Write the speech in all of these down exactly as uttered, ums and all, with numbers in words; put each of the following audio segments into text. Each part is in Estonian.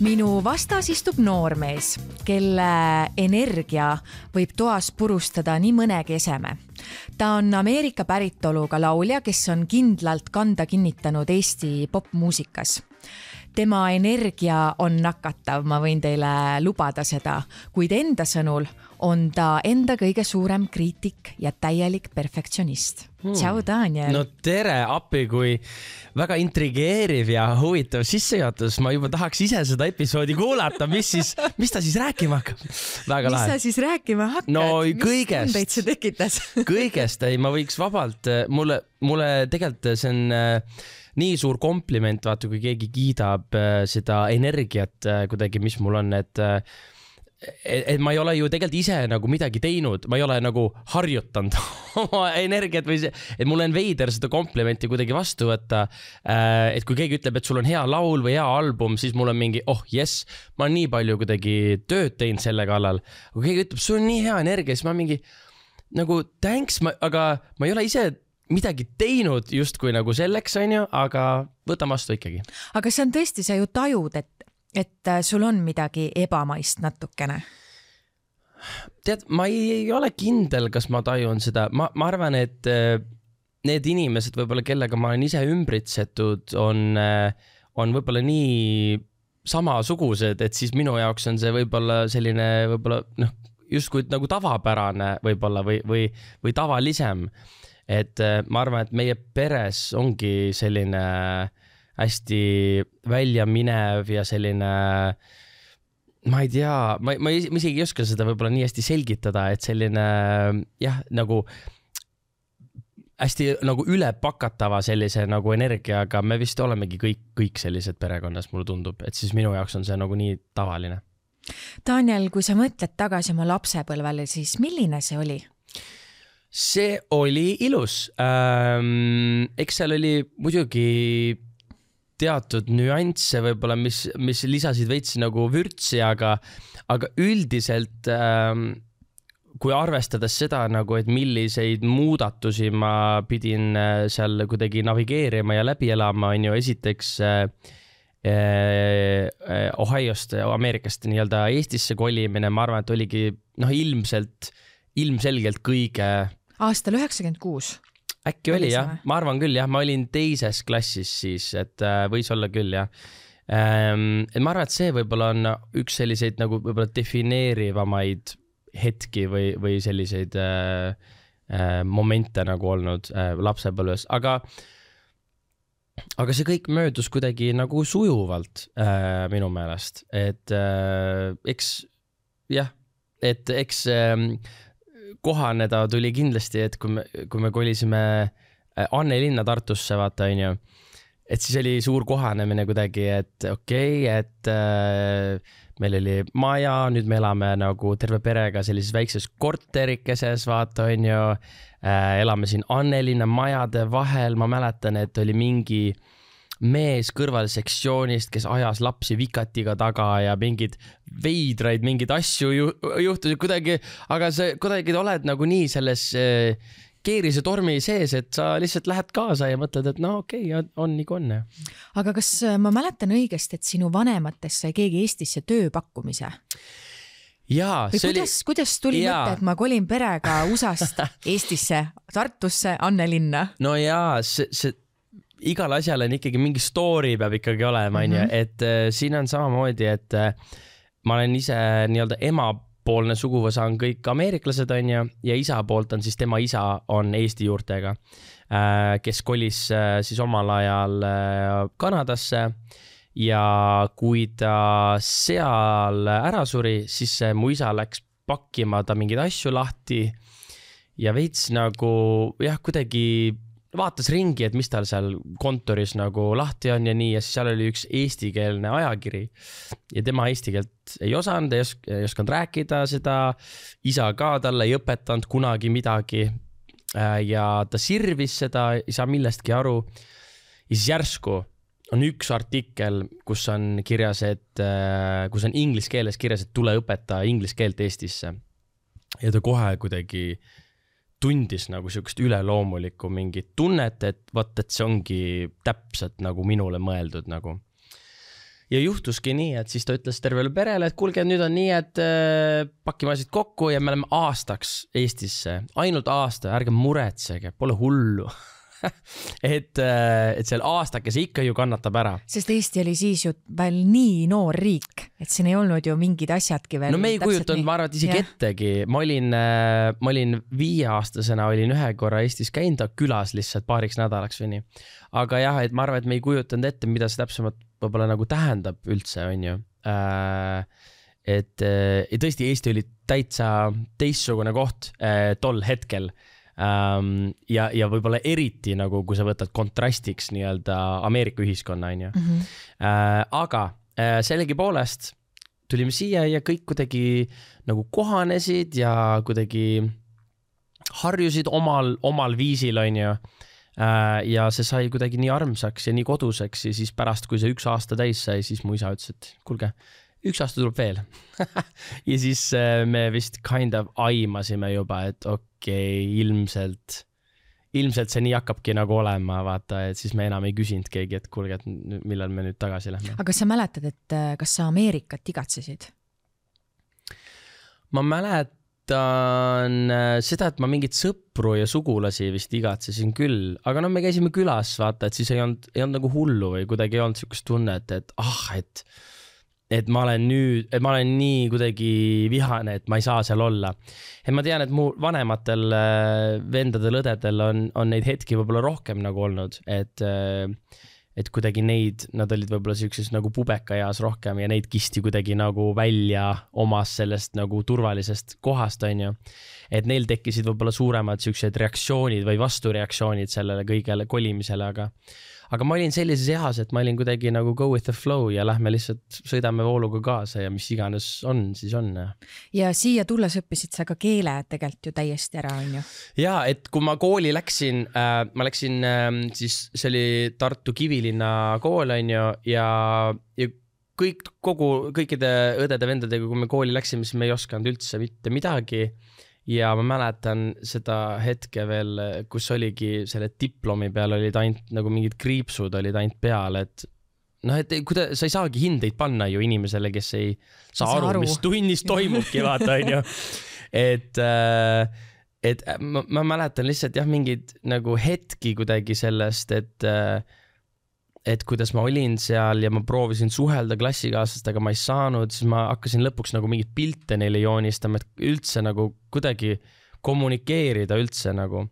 Minu vastas istub noormees, kelle energia võib toas purustada nii mõnegi eseme. Ta on Ameerika päritoluga laulja, kes on kindlalt kanda kinnitanud Eesti popmuusikas. Tema energia on nakatav, ma võin teile lubada seda, kuid enda sõnul on ta enda kõige suurem kriitik ja täielik perfektsionist. Hmm. Tšau, Daniel! No tere, appi, kui väga intrigeeriv ja huvitav sissejuhatus. Ma juba tahaks ise seda episoodi kuulata. Mis, siis, mis ta siis rääkima hakkab? Väga mis lahe. sa siis rääkima hakkad? No mis kõigest. tundeid see tekitas? Kõigest, ei, ma võiks vabalt. Mulle, mulle tegelikult see on nii suur kompliment, vaata, kui keegi kiidab seda energiat kuidagi, mis mul on, et et ma ei ole ju tegelikult ise nagu midagi teinud, ma ei ole nagu harjutanud oma energiat või see, et mul on veider seda komplimenti kuidagi vastu võtta, et kui keegi ütleb, et sul on hea laul või hea album, siis mul on mingi, oh yes, ma olen nii palju kuidagi tööd teinud selle kallal. Kui keegi ütleb, sul on nii hea energia, siis ma mingi nagu thanks, ma, aga ma ei ole ise midagi teinud just kui nagu selleks, on ju, aga võtan vastu ikkagi. Aga see on tõesti, sa ju tajud, et et sul on midagi ebamaist natukene? Tead, ma ei ole kindel, kas ma tajun seda. Ma, ma arvan, et need inimesed, võib-olla kellega ma olen ise ümbritsetud, on, on võib-olla nii samasugused, et siis minu jaoks on see võib-olla selline, võib-olla, noh, justkui nagu tavapärane võib-olla või, või, või tavalisem. Et ma arvan, et meie peres ongi selline hästi välja minev ja selline, ma ei tea, ma, ma isegi ei oska seda võib-olla nii hästi selgitada, et selline, jah, nagu hästi nagu ülepakatava sellise nagu energiaga, me vist olemegi kõik, kõik sellised perekonnas, mulle tundub, et siis minu jaoks on see nagu nii tavaline. Daniel, kui sa mõtled tagasi oma lapsepõlvele, siis milline see oli? See oli ilus. Ähm, eks seal oli muidugi teatud nüansse võib-olla, mis, mis lisasid veits nagu vürtsi, aga, aga üldiselt ähm, kui arvestades seda, nagu, et milliseid muudatusi ma pidin seal kuidagi navigeerima ja läbi elama, on ju esiteks äh, äh, Ohiost, Ameerikast nii-öelda Eestisse kolimine, ma arvan, et oligi noh, ilmselt, ilmselgelt kõige... Aastal üheksakümmend kuus. Äkki oli, jah. Ma arvan küll, jah. Ma olin teises klassis siis, et võis olla küll, jah. Et ma arvan, et see võib-olla on üks selliseid nagu võib-olla defineerivamaid hetki või, või selliseid äh, momente nagu olnud äh, lapsepõlves. Aga, aga see kõik möödus kuidagi nagu sujuvalt äh, minu meelest. Et äh, eks, jah, et eks... Äh, kohaneda tuli kindlasti, et kui me, kui me kolisime Anne linna Tartusse, vaata, on ju, et siis oli suur kohanemine kuidagi, et okei, okay, et äh, meil oli maja, nüüd me elame nagu terve perega sellises väikses korterikeses, vaata, on ju, äh, elame siin Anne linna majade vahel, ma mäletan, et oli mingi mees kõrval sektsioonist, kes ajas lapsi vikatiga taga ja mingid veidraid, mingid asju ju, juhtusid kuidagi, aga sa kuidagi oled nagu nii selles äh, keerise tormi sees, et sa lihtsalt lähed kaasa ja mõtled, et no okei, okay, on nii konne. Aga kas ma mäletan õigesti, et sinu vanematest sai keegi Eestisse tööpakkumise? Jaa, või see kuidas, oli... kuidas tuli jaa. mõte, et ma kolin perega U S A-st Eestisse, Tartusse, Anne linna? No jaa, see... see... igal asjal on ikkagi mingi story peab ikkagi olema, mm -hmm. et äh, siin on samamoodi, et äh, ma olen ise nii-öelda emapoolne suguvõsa on kõik ameeriklased, on ju, ja isa poolt on siis tema isa on Eesti juurtega, äh, kes kolis äh, siis omal ajal äh, Kanadasse ja kui ta seal ära suri, siis äh, mu isa läks pakkima ta mingeid asju lahti ja veits nagu jah, kuidagi vaatas ringi, et mis tal seal kontoris nagu lahti on ja nii, ja siis seal oli üks eestikeelne ajakiri ja tema eesti keelt ei osanud, ei, osk ei oskanud rääkida seda, isa ka talle ei õpetanud kunagi midagi ja ta sirvis seda, ei saa millestki aru ja siis järsku on üks artikkel, kus on kirjas, et kus on inglise keeles kirjas, et tule õpeta inglise keelt Eestisse ja ta kohe kuidagi tundis nagu sellist üleloomulikku mingit tunnet, et vaat, et see ongi täpselt nagu minule mõeldud nagu. ja juhtuski nii, et siis ta ütles tervele perele, et kuulge, nüüd on nii, et äh, pakime asjad kokku ja me oleme aastaks Eestisse, ainult aasta, ärge muretsege, pole hullu. et, et seal aastakese ikka ju kannatab ära. Sest Eesti oli siis ju veel nii noor riik, et siin ei olnud ju mingid asjadki veel. No me ei kujutanud, ma arvan, et isegi ja. ettegi. Ma olin, ma olin viieaastasena, olin ühe korra Eestis käinud külas lihtsalt paariks nädalaks või nii. Aga jah, et ma arvan, et me ei kujutanud ette, mida see täpsemalt võib-olla nagu tähendab üldse, on ju. Et, et tõesti Eesti oli täitsa teistsugune koht tol hetkel. Um, ja, ja võib-olla eriti nagu, kui sa võtad kontrastiks nii-öelda Ameerika ühiskonna, on ju. Mm-hmm. Uh, aga uh, sellegi poolest tulime siia ja kõik kuidagi nagu kohanesid ja kuidagi harjusid omal, omal viisil, on ju. Uh, ja see sai kuidagi nii armsaks ja nii koduseks ja siis pärast, kui see üks aasta täis sai, siis mu isa ütles, et kuulge, üks aasta tuleb veel. ja siis uh, me vist kind of aimasime juba, et okei, okay, ilmselt, ilmselt see nii hakkabki nagu olema, vaata, et siis me enam ei küsinud keegi, et kuulge, et millal me nüüd tagasi lähme. Aga kas sa mäletad, et kas sa Ameerikat igatsesid? Ma mäletan seda, et ma mingit sõpru ja sugulasi vist igatsesin küll, aga no me käisime külas, vaata, et siis ei olnud, ei olnud nagu hullu või kuidagi ei olnud sellist tunnet, et ah, et et ma olen nüüd, et ma olen nii kuidagi vihane, et ma ei saa seal olla. Et ma tean, et mu vanematel vendadel, õdedel on, on neid hetki võib-olla rohkem nagu olnud, et, et kuidagi neid, nad olid võib-olla sellises nagu pubeka eas rohkem ja neid kisti kuidagi nagu välja omas sellest nagu turvalisest kohast, on ju. Et neil tekkisid võib-olla suuremad sellised reaktsioonid või vastureaktsioonid sellele kõigele kolimisele, aga Aga ma olin sellises eas, et ma olin kuidagi nagu go with the flow ja lähme lihtsalt sõidame vooluga kaasa ja mis iganes on, siis on. Ja siia tulles õppisid sa ka keele tegelikult ju täiesti ära, on ju? Ja, et kui ma kooli läksin, äh, ma läksin äh, siis see oli Tartu Kivilinna kool, on ju, ja, ja kõik, kogu, kõikide õdede-vendadega, kui me kooli läksime, siis me ei osanud üldse mitte midagi. Ja ma mäletan seda hetke veel, kus oligi selle diplomi peal olid ainult nagu mingid kriipsud olid ainult peal, et noh, et kuida, sa ei saagi hindeid panna ju inimesele, kes ei saa aru, aru, mis tunnis toimubki, vaata, on ju. Et, et ma, ma mäletan lihtsalt jah, mingid nagu hetki kuidagi sellest, et et kuidas ma olin seal ja ma proovisin suhelda klassikaaslast, aga ma ei saanud, siis ma hakkasin lõpuks nagu mingid pilte neile joonistama, et üldse nagu kuidagi kommunikeerida üldse nagu.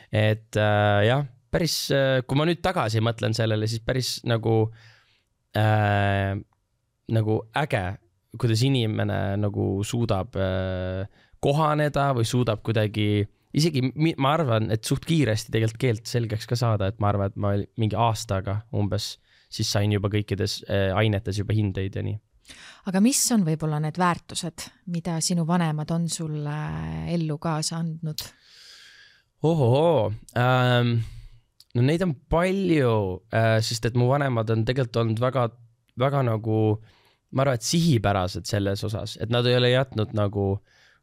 Et äh, jah, päris, kui ma nüüd tagasi mõtlen sellele, siis päris nagu, äh, nagu äge, kuidas inimene nagu suudab äh, kohaneda või suudab kuidagi isegi ma arvan, et suht kiiresti tegelikult keelt selgeks ka saada, et ma arvan, et ma mingi aastaga umbes siis sain juba kõikides ainetes juba hindeid ja nii. Aga mis on võib-olla need väärtused, mida sinu vanemad on sulle ellu kaasa andnud? Ohoho, ähm, no neid on palju, äh, sest et mu vanemad on tegelikult olnud väga, väga nagu, ma arvan, et sihipärased selles osas, et nad ei ole jätnud nagu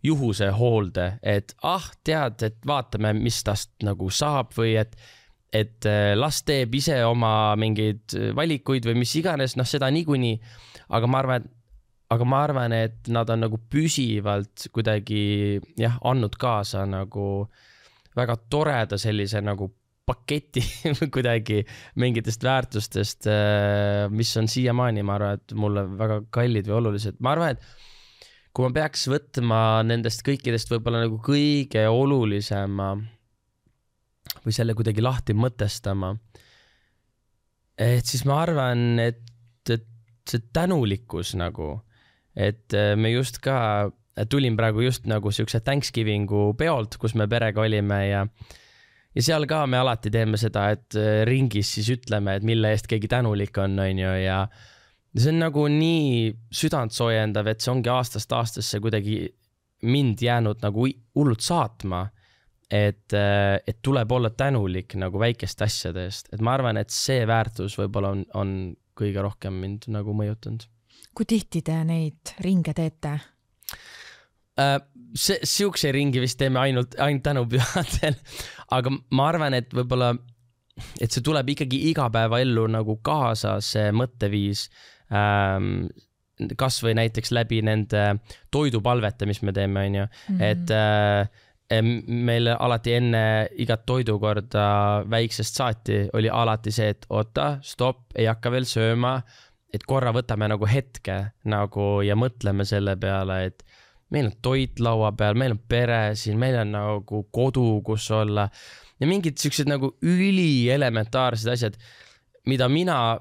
juhuse hoolde, et ah, tead, et vaatame, mis tast nagu saab või et, et las teeb ise oma mingeid valikuid või mis iganes, noh seda niikuinii, aga ma arvan, aga ma arvan, et nad on nagu püsivalt kuidagi jah, andnud kaasa nagu väga toreda sellise nagu paketi kuidagi mingitest väärtustest, mis on siiamaani, ma arvan, et mulle väga kallid või olulised. Ma arvan, et kui ma peaks võtma nendest kõikidest võib-olla nagu kõige olulisema või selle kuidagi lahti mõtestama, et siis ma arvan, et, et see tänulikkus nagu, et me just ka, tulin praegu just nagu siukse Thanksgivingu peolt, kus me perega olime ja ja seal ka me alati teeme seda, et ringis siis ütleme, et mille eest keegi tänulik on, on ju, ja see on nagu nii südant soojendav, et see ongi aastast aastasse kuidagi mind jäänud nagu hullult saatma, et, et tuleb olla tänulik nagu väikeste asjade eest. Et ma arvan, et see väärtus võib-olla on, on kõige rohkem mind nagu mõjutanud. Kui tihti te neid ringe teete? See, siukse ringi vist teeme ainult, ainult tänupühadel, aga ma arvan, et võib-olla, et see tuleb ikkagi igapäeva ellu nagu kaasa see mõtteviis, ähm, kas või näiteks läbi nende toidupalvete, mis me teeme, on ju, mm-hmm. et äh, meil alati enne igat toidukorda väiksest saati oli alati see, et oota, stopp, ei hakka veel sööma, et korra võtame nagu hetke nagu ja mõtleme selle peale, et meil on toit laua peal, meil on pere siin, meil on nagu kodu, kus olla ja mingid sellised nagu ülieelementaarsed asjad, mida mina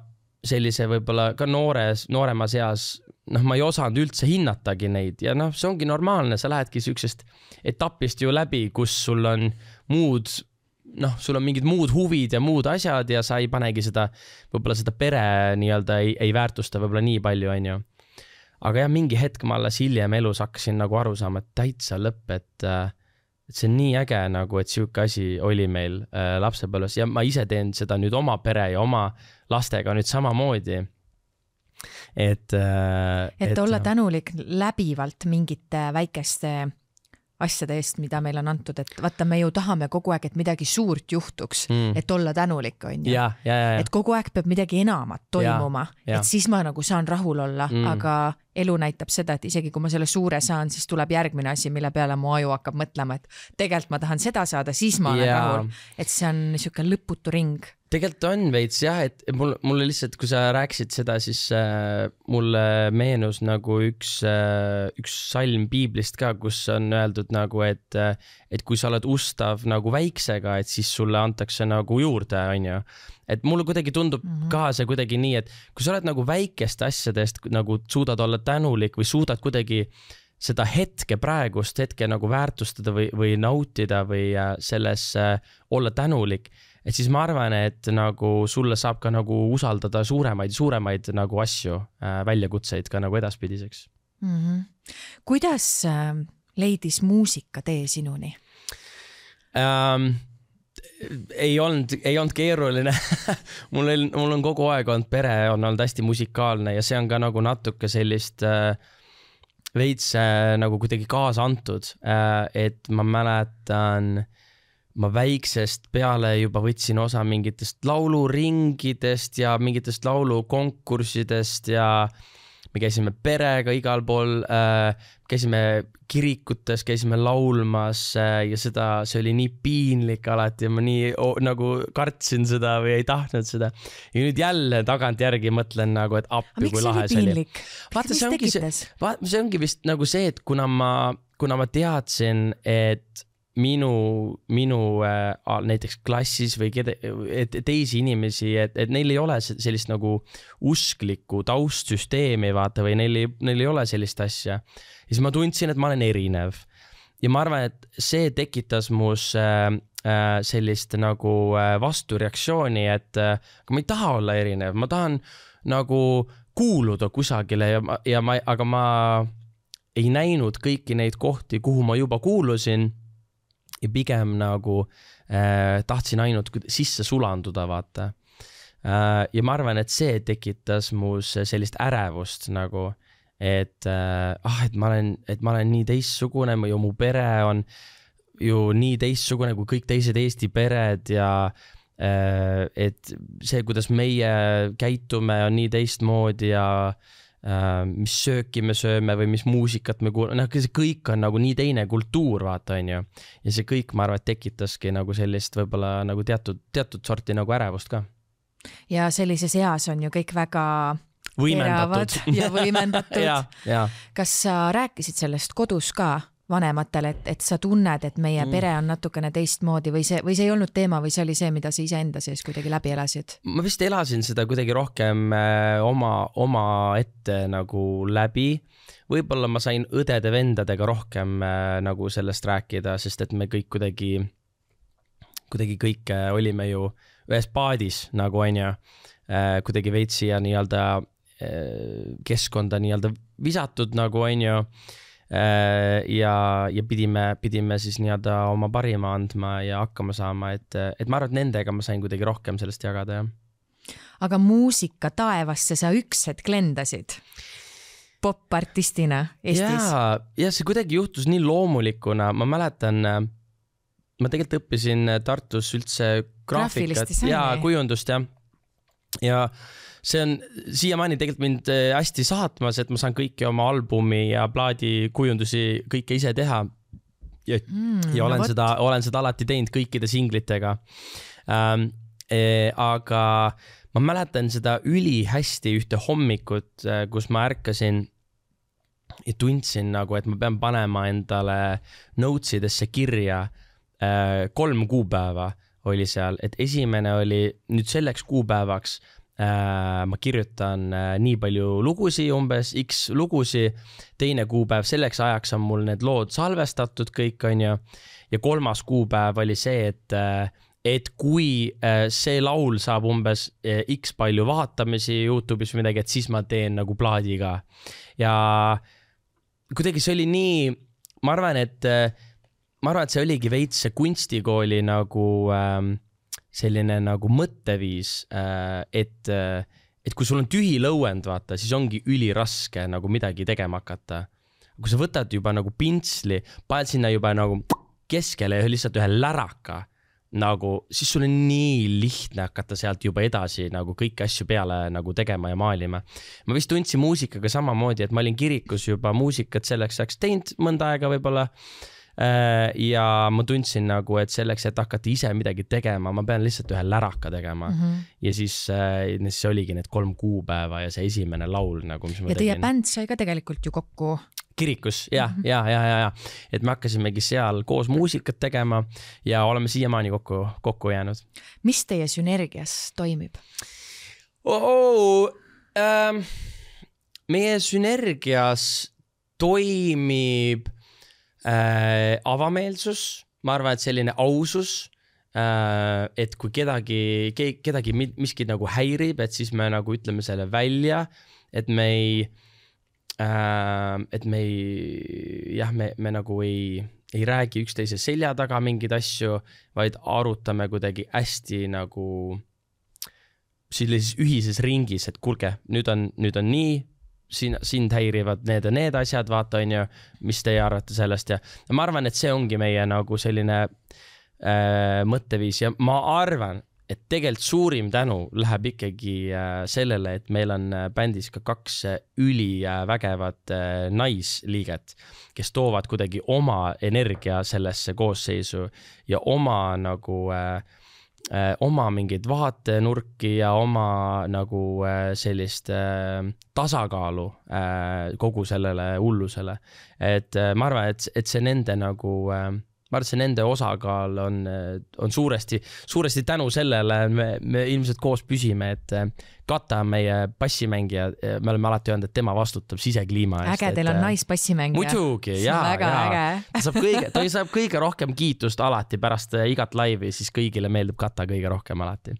sellise võib-olla ka noores, nooremas eas, noh, ma ei osanud üldse hinnatagi neid ja noh, see ongi normaalne, sa lähedki sellisest etapist ju läbi, kus sul on muud, noh, sul on mingid muud huvid ja muud asjad ja sa ei panegi seda, võib-olla seda pere nii-öelda ei, ei väärtusta võib-olla nii palju, on ju. Aga jah, mingi hetk ma alles hiljem elus hakkasin nagu aru saama, et täitsa lõpp, et, et see on nii äge nagu, et siuke asi oli meil äh, lapsepõlves ja ma ise teen seda nüüd oma pere ja oma lastega nüüd samamoodi. Et, äh, et, et olla tänulik läbivalt mingite väikeste asjade eest, mida meil on antud, et vaata, me ju tahame kogu aeg, et midagi suurt juhtuks, mm. et olla tänulik, on ju. Ja, ja, ja, ja. Et kogu aeg peab midagi enamat toimuma, ja, ja. Et siis ma nagu saan rahul olla, mm. aga elu näitab seda, et isegi kui ma selle suure saan, siis tuleb järgmine asi, mille peale mu aju hakkab mõtlema, et tegelikult ma tahan seda saada, siis ma olen ja. rahul. Et see on niisugune lõputu ring. Tegelikult on veits jah, et mul, mulle lihtsalt, kui sa rääkisid seda, siis äh, mulle meenus nagu üks, äh, üks salm piiblist ka, kus on öeldud nagu, et, äh, et kui sa oled ustav nagu väiksega, et siis sulle antakse nagu juurde, on ju. Et mulle kuidagi tundub mm-hmm. ka see kuidagi nii, et kui sa oled nagu väikeste asjadest nagu suudad olla tänulik või suudad kuidagi seda hetke praegust hetke nagu väärtustada või, või nautida või selles äh, olla tänulik, et siis ma arvan, et nagu sulle saab ka nagu usaldada suuremaid, suuremaid nagu asju, äh, väljakutseid ka nagu edaspidiseks. Mm-hmm. Kuidas äh, leidis muusika tee sinuni? Um, ei olnud, ei olnud keeruline. mul, on, mul on kogu aeg olnud pere, on olnud hästi musikaalne ja see on ka nagu natuke sellist äh, veits äh, nagu kuidagi kaasa antud, äh, et ma mäletan, ma väiksest peale juba võtsin osa mingitest lauluringidest ja mingitest laulukonkurssidest ja me käisime perega igal pool, äh, käisime kirikutes, käisime laulmas äh, ja seda, see oli nii piinlik alati ja ma nii oh, nagu kartsin seda või ei tahtnud seda. Ja nüüd jälle tagant järgi mõtlen nagu, et appi kui lahe see oli. Vaata, see ongi, see, vaata, see ongi vist nagu see, et kuna ma, kuna ma teadsin, et minu, minu äh, näiteks klassis või kede, et teisi inimesi, et, et neil ei ole sellist nagu usklikku taustsüsteemi, vaata, või neil ei, neil ei ole sellist asja. Ja siis ma tundsin, et ma olen erinev. Ja ma arvan, et see tekitas mus äh, äh, sellist nagu äh, vastureaktsiooni, et äh, ma ei taha olla erinev, ma tahan nagu kuuluda kusagile ja, ja ma, aga ma ei näinud kõiki neid kohti, kuhu ma juba kuulusin. Ja pigem nagu äh, tahtsin ainult sisse sulanduda, vaata. Äh, ja ma arvan, et see tekitas muus sellist ärevust nagu, et, äh, ah, et, ma olen, et ma olen nii teistsugune ja mu pere on ju nii teistsugune kui kõik teised Eesti pered ja äh, et see, kuidas meie käitume, on nii teistmoodi ja Uh, mis sööki me sööme või mis muusikat me kuulame, noh, see kõik on nagu nii teine kultuur, vaata, on ju. Ja see kõik, ma arvan, et tekitaski nagu sellist võib-olla nagu teatud, teatud sorti nagu ärevust ka. Ja sellises eas on ju kõik väga võimendatud ja võimendatud. ja, ja. Kas sa rääkisid sellest kodus ka vanematele, et, et sa tunned, et meie mm. pere on natukene teistmoodi või see, või see ei olnud teema või see oli see, mida sa ise enda sees kuidagi läbi elasid? Ma vist elasin seda kuidagi rohkem äh, oma, oma ette nagu läbi. Võib-olla ma sain õdede-vendadega rohkem äh, nagu sellest rääkida, sest et me kõik kuidagi, kuidagi kõik äh, olime ju ühes paadis nagu on ju, äh, kuidagi veitsi ja nii-öelda äh, keskkonda nii-öelda visatud nagu on ju. ja, ja pidime, pidime siis nii-öelda oma parima andma ja hakkama saama, et, et ma arvan, et nendega ma sain kuidagi rohkem sellest jagada, jah. Aga muusika taevasse sa üks hetk lendasid pop-artistina Eestis? Ja, ja see kuidagi juhtus nii loomulikuna, ma mäletan, ma tegelikult õppisin Tartus üldse graafikat ja kujundust, jah. ja see on siiamaani tegelikult mind hästi saatmas, et ma saan kõiki oma albumi ja plaadi kujundusi kõike ise teha. Ja, mm, ja olen, no seda, olen seda alati teinud kõikide singlitega. Ähm, e, aga ma mäletan seda üli hästi ühte hommikut, kus ma ärkasin ja tundsin nagu, et ma pean panema endale notesidesse kirja äh, kolm kuupäeva oli seal, et esimene oli nüüd selleks kuupäevaks äh, ma kirjutan äh, nii palju lugusi, umbes X lugusi, teine kuupäev selleks ajaks on mul need lood salvestatud kõik on ju, ja kolmas kuupäev oli see, et äh, et kui äh, see laul saab umbes äh, X palju vaatamisi YouTube'is või midagi, et siis ma teen nagu plaadi ka. Ja kuidagi see oli nii, ma arvan, et ma arvan, et see oligi veits see kunstikooli nagu äh, selline nagu mõtteviis, äh, et, et kui sul on tühi lõuend, vaata, siis ongi üliraske nagu midagi tegema hakata. Kui sa võtad juba nagu pintsli, paned sinna juba nagu keskele ja lihtsalt ühe läraka, nagu, siis sul on nii lihtne hakata sealt juba edasi nagu kõiki asju peale nagu tegema ja maalima. Ma vist tundsin muusikaga samamoodi, et ma olin kirikus juba muusikat selleks ajaks teinud mõnda aega võib-olla ja ma tundsin nagu, et selleks, et hakata ise midagi tegema, ma pean lihtsalt ühe läraka tegema mm -hmm. ja siis, siis oligi need kolm kuupäeva ja see esimene laul nagu, mis ma ja teie bänd sai ka tegelikult ju kokku kirikus, ja, ja, ja, ja, ja, et me hakkasimegi seal koos muusikat tegema ja oleme siiamaani kokku, kokku jäänud. Mis teie sünergias toimib? Oh, oh, ähm, meie sünergias toimib äh, avameelsus, ma arvan, et selline ausus, äh, et kui kedagi, kedagi miski nagu häirib, et siis me nagu ütleme selle välja, et me ei Uh, et me ei, jah, me, me nagu ei, ei räägi üksteise selja taga mingeid asju, vaid arutame kuidagi hästi nagu sellises ühises ringis, et kulge, nüüd on, nüüd on nii, siin, sind häirivad need ja need asjad, vaata on ju, mis teie arvate sellest ja ma arvan, et see ongi meie nagu selline uh, mõtteviis ja ma arvan, et tegelikult suurim tänu läheb ikkagi sellele, et meil on bändis ka kaks üli vägevat naisliiget, kes toovad kuidagi oma energia sellesse koosseisu ja oma nagu oma mingeid vaatenurki ja oma nagu sellist tasakaalu kogu sellele hullusele. Et ma arvan, et, et see nende nagu ma arvan, et see nende osakaal on, on suuresti, suuresti tänu sellele, me, me ilmselt koos püsime, et Kata on meie bassimängija, me oleme alati öelnud, et tema vastutab sisekliima eest. Äge, teil on naisbassimängija. Muidugi, jaa, jaa. Ta saab kõige, ta saab kõige rohkem kiitust alati pärast igat laivi, siis kõigile meeldib Kata kõige rohkem alati.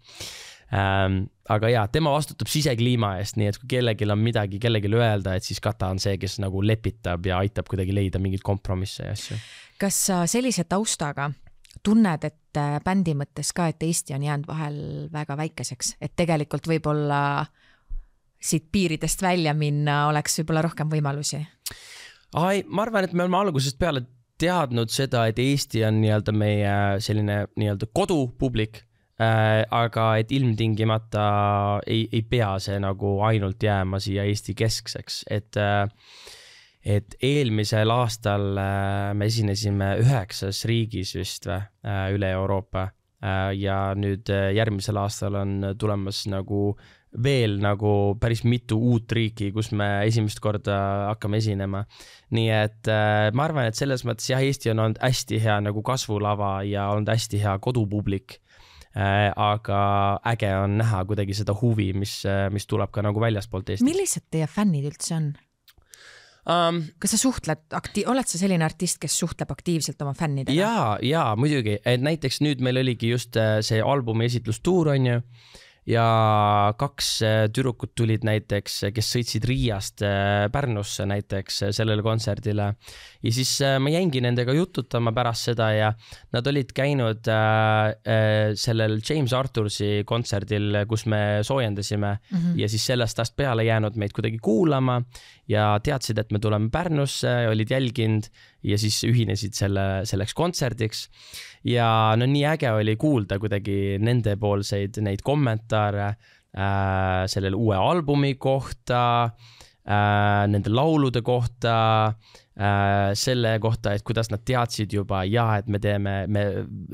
Ähm, aga jaa, tema vastutab sisekliima eest, nii et kui kellelgi on midagi kellelgi öelda, et siis Kata on see, kes nagu lepitab ja aitab kuidagi leida mingid kompromisse ja asju. Kas sa sellise taustaga tunned, et bändi mõttes ka, et Eesti on jäänud vahel väga väikeseks, et tegelikult võib-olla siit piiridest välja minna oleks võib-olla rohkem võimalusi? Ai, ma arvan, et me oleme algusest peale teadnud seda, et Eesti on nii-öelda meie selline nii-öelda kodupublik, äh, aga et ilmtingimata ei, ei pea see nagu ainult jääma siia Eesti keskseks, et äh, et eelmisel aastal me esinesime üheksas riigis vist või, üle Euroopa ja nüüd järgmisel aastal on tulemas nagu veel nagu päris mitu uut riiki, kus me esimest korda hakkame esinema. Nii et ma arvan, et selles mõttes jah, Eesti on olnud hästi hea nagu kasvulava ja olnud hästi hea kodupublik, aga äge on näha kuidagi seda huvi, mis, mis tuleb ka nagu väljaspoolt Eesti. Millised teie fännid üldse on? Um, kas sa suhtled, akti- oled sa selline artist, kes suhtleb aktiivselt oma fännidega? Jaa, jaa, muidugi. Et näiteks nüüd meil oligi just see albumi esitlustuur on ju ja kaks tüdrukut tulid näiteks, kes sõitsid Riiast Pärnusse näiteks sellele kontserdile ja siis ma jäingi nendega jututama pärast seda ja nad olid käinud äh, sellel James Arthursi kontserdil, kus me soojendasime mm -hmm. ja siis sellest tast peale jäänud meid kuidagi kuulama ja teadsid, et me tuleme Pärnusse, olid jälginud ja siis ühinesid selle, selleks kontserdiks ja no nii äge oli kuulda kuidagi nendepoolseid neid kommentaare äh, sellele uue albumi kohta äh,, nende laulude kohta äh,, selle kohta, et kuidas nad teadsid juba, ja et me teeme, me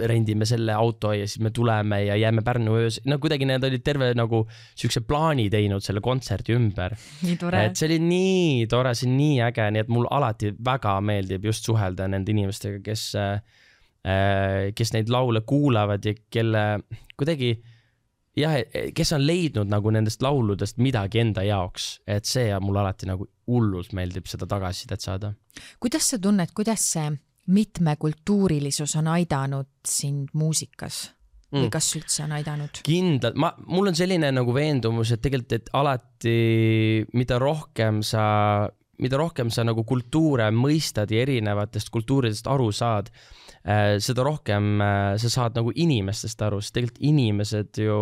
rendime selle auto ja siis me tuleme ja jääme Pärnu öös, no kuidagi need olid terve nagu siukse plaani teinud selle kontserdi ümber. Nii tore. Et see oli nii tore, see on nii äge, nii et mul alati väga meeldib just suhelda nende inimestega, kes äh, kes neid laule kuulavad ja kelle kuidagi jah, kes on leidnud nagu nendest lauludest midagi enda jaoks, et see ja mul alati nagu hullult meeldib seda tagasisidet saada. Kuidas sa tunned, kuidas see mitmekultuurilisus on aidanud sind muusikas või mm. kas üldse on aidanud? Kindlalt, ma, mul on selline nagu veendumus, et tegelikult, et alati mida rohkem sa, mida rohkem sa nagu kultuure mõistad ja erinevatest kultuuridest aru saad, seda rohkem sa saad nagu inimestest aru, sest tegelikult inimesed ju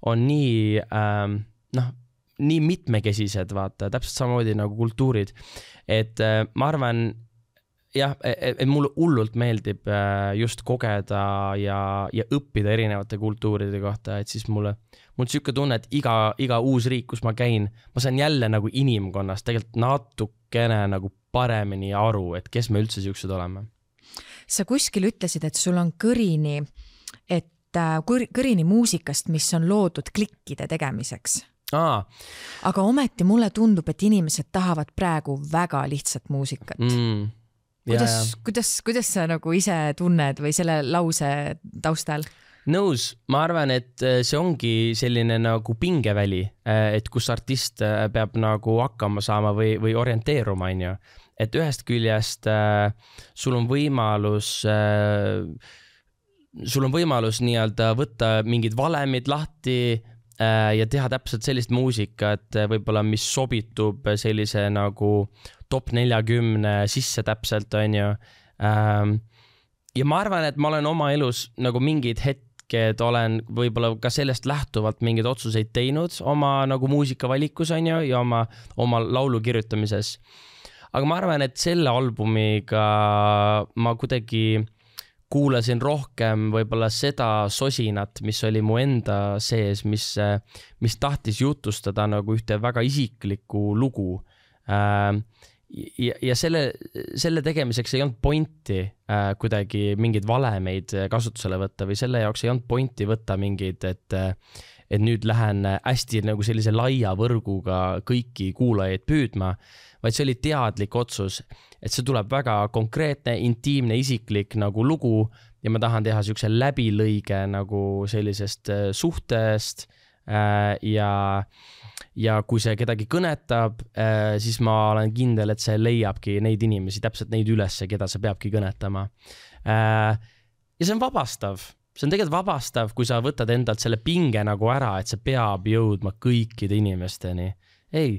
on nii ähm, noh, nii mitmekesised, vaata, täpselt samamoodi nagu kultuurid, et äh, ma arvan jah, et mulle hullult meeldib äh, just kogeda ja, ja õppida erinevate kultuuride kohta, et siis mulle mul siuke tunne, et iga, iga uus riik, kus ma käin, ma saan jälle nagu inimkonnast tegelikult natukene nagu paremini aru, et kes me üldse siuksed oleme. Sa kuskil ütlesid, et sul on kõrini, et kõrini muusikast, mis on loodud klikkide tegemiseks. Aa. Aga ometi mulle tundub, et inimesed tahavad praegu väga lihtsat muusikat. Mm. Kuidas, kuidas, kuidas sa nagu ise tunned või selle lause taustal? Nõus, ma arvan, et see ongi selline nagu pingeväli, et kus artist peab nagu hakkama saama või, või orienteeruma, on ju. Et ühest küljest äh, sul on võimalus äh, sul on võimalus nii-öelda võtta mingid valemid lahti äh, ja teha täpselt sellist muusikat, võib-olla mis sobitub sellise nagu top neljakümne sisse täpselt, on ju. Ähm, ja ma arvan, et ma olen oma elus nagu mingid hetked olen võib-olla ka sellest lähtuvalt mingeid otsuseid teinud oma nagu muusikavalikus, on ju, ja oma, oma laulu kirjutamises. Aga ma arvan, et selle albumiga ma kuidagi kuulasin rohkem võib-olla seda sosinat, mis oli mu enda sees, mis, mis tahtis jutustada nagu ühte väga isiklikku lugu. Ja, ja selle, selle tegemiseks ei olnud pointi kuidagi mingeid valemeid kasutusele võtta või selle jaoks ei olnud pointi võtta mingeid, et et nüüd lähen hästi nagu sellise laia võrguga kõiki kuulajaid püüdma, vaid see oli teadlik otsus, et see tuleb väga konkreetne, intiimne, isiklik nagu lugu ja ma tahan teha siukse läbilõige nagu sellisest suhtest ja, ja kui see kedagi kõnetab, siis ma olen kindel, et see leiabki neid inimesi, täpselt neid ülesse, keda see peabki kõnetama. Ja see on vabastav. See on tegelikult vabastav, kui sa võtad endalt selle pinge nagu ära, et see peab jõudma kõikide inimesteni. Ei,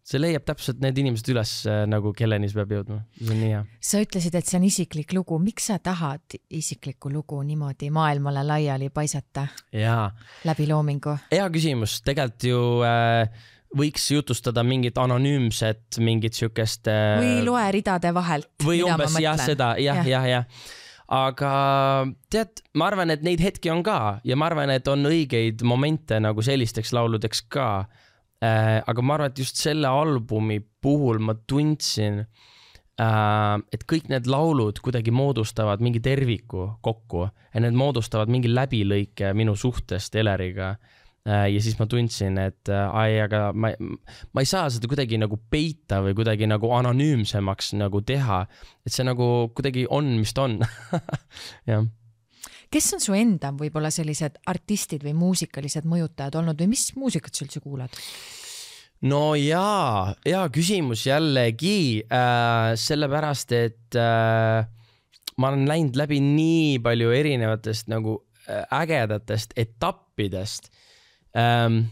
see leiab täpselt need inimesed üles nagu kelleni see peab jõudma. See on nii hea. Sa ütlesid, et see on isiklik lugu. Miks sa tahad isiklikku lugu niimoodi maailmale laiali paisata? Jaa. Läbi loomingu? Hea küsimus. Tegelikult ju äh, võiks jutustada mingit anonüümset, mingit siukest... Äh, või loe ridade vahelt. Või umbes jah, seda, jah, jah, jah. jah. Aga tead, ma arvan, et neid hetki on ka ja ma arvan, et on õigeid momente nagu sellisteks lauludeks ka. Äh, aga ma arvan, et just selle albumi puhul ma tundsin, äh, et kõik need laulud kuidagi moodustavad mingi terviku kokku ja need moodustavad mingi läbilõike minu suhtest Eleriga. Ja siis ma tundsin, et ai, aga ma, ma ei saa seda kuidagi nagu peita või kuidagi nagu anonüümsemaks nagu teha, et see nagu kuidagi on, mis ta on. Ja. Kes on su enda võib-olla sellised artistid või muusikalised mõjutajad olnud või mis muusikat sa üldse kuulad? No jaa, hea küsimus jällegi, äh, sellepärast, et äh, ma olen läinud läbi nii palju erinevatest nagu äh, ägedatest etappidest. Ähm,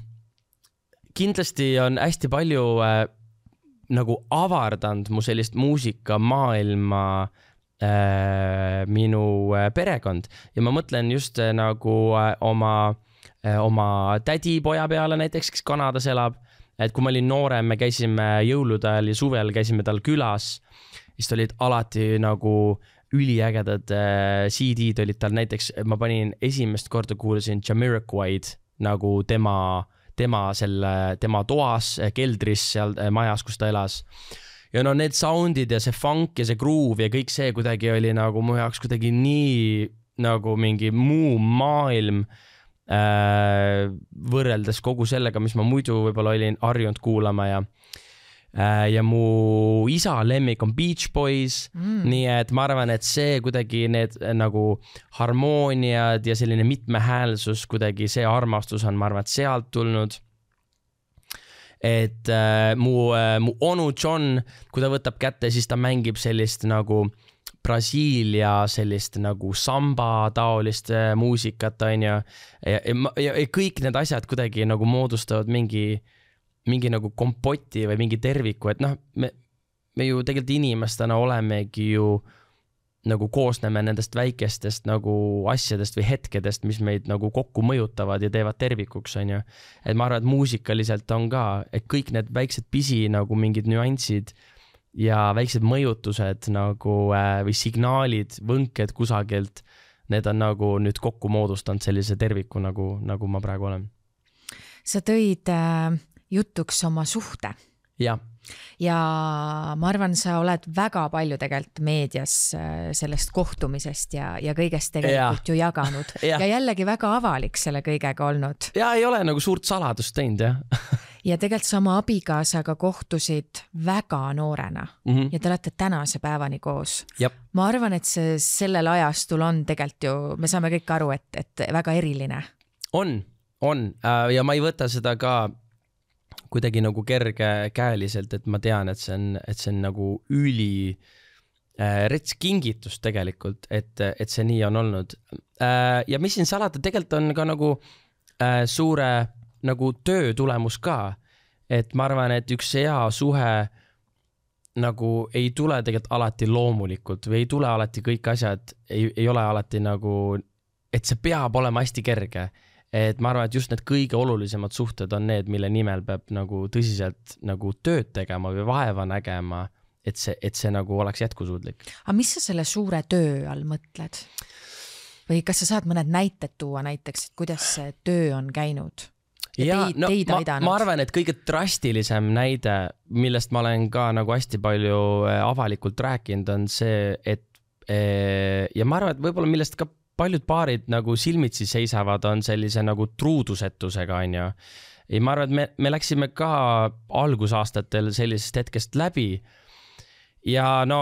kindlasti on hästi palju äh, nagu avardanud mu sellist muusikamaailma äh, minu äh, perekond ja ma mõtlen just äh, nagu äh, oma, äh, oma tädipoja peale näiteks, kes Kanadas elab, et kui ma olin noorem, me käisime jõulude ajal ja suvel käisime tal külas, siis olid alati nagu üliägedad äh, C D-d olid tal näiteks, ma panin esimest korda kuulasin Jamiroquaid nagu tema, tema selle, tema toas, keldris seal majas, kus ta elas. Ja no need soundid ja see funk ja see groove ja kõik see kuidagi oli nagu mu jaoks kuidagi nii nagu mingi muu maailm äh, võrreldes kogu sellega, mis ma muidu võib-olla olin harjunud kuulama ja äh, ja mu isa lemmik on Beach Boys, mm. nii et ma arvan, et see kuidagi need nagu harmooniad ja selline mitmehäälsus kuidagi see armastus on, ma arvan, et sealt tulnud. Et äh, mu, äh, mu onu John, kui ta võtab kätte, siis ta mängib sellist nagu Brasiilia sellist nagu samba taolist äh, muusikat, on ja, ja, ja, ja kõik need asjad kuidagi nagu moodustavad mingi, mingi nagu kompoti või mingi terviku, et noh, me, me ju tegelikult inimestena olemegi ju nagu koosneme nendest väikestest nagu asjadest või hetkedest, mis meid nagu kokku mõjutavad ja teevad tervikuks, on ju. Et ma arvan, et muusikaliselt on ka, et kõik need väiksed pisi nagu mingid nüansid ja väiksed mõjutused nagu äh, või signaalid, võnked kusagilt, need on nagu nüüd kokku moodustanud sellise terviku, nagu, nagu ma praegu olen. Sa tõid äh, jutuks oma suhte. Jah. Ja ma arvan, sa oled väga palju tegelikult meedias sellest kohtumisest ja, ja kõigest tegelikult ja. ju jaganud ja. ja jällegi väga avalik selle kõigega olnud. Ja ei ole nagu suurt saladust teinud, jah. Ja tegelikult sa oma abikaasaga kohtusid väga noorena mm -hmm. ja te olete tänase päevani koos. Jab. Ma arvan, et see sellel ajastul on tegelikult ju, me saame kõik aru, et, et väga eriline. On, on ja ma ei võta seda ka kuidagi nagu kerge käeliselt, et ma tean, et see on, et see on nagu üli äh, rets kingitus tegelikult, et, et see nii on olnud. Äh, ja mis siin salata, tegelikult on ka nagu äh, suure nagu töö tulemus ka, et ma arvan, et üks hea suhe nagu ei tule tegelikult alati loomulikult või ei tule alati kõik asjad, ei, ei ole alati nagu, et see peab olema hästi kerge. Et ma arvan, et just need kõige olulisemad suhted on need, mille nimel peab nagu tõsiselt nagu tööd tegema või vaeva nägema, et see, et see nagu oleks jätkusuudlik. Aga mis sa selle suure töö all mõtled? Või kas sa saad mõned näited tuua näiteks, et kuidas see töö on käinud? Ja, ja teid, no, teid ma, ma arvan, et kõige drastilisem näide, millest ma olen ka nagu hästi palju avalikult rääkinud, on see, et ja ma arvan, et võib-olla millest ka paljud paarid nagu silmitsi seisavad, on sellise nagu truudusetusega, on ju. Ja ma arvan, et me, me läksime ka algusaastatel sellisest hetkest läbi ja no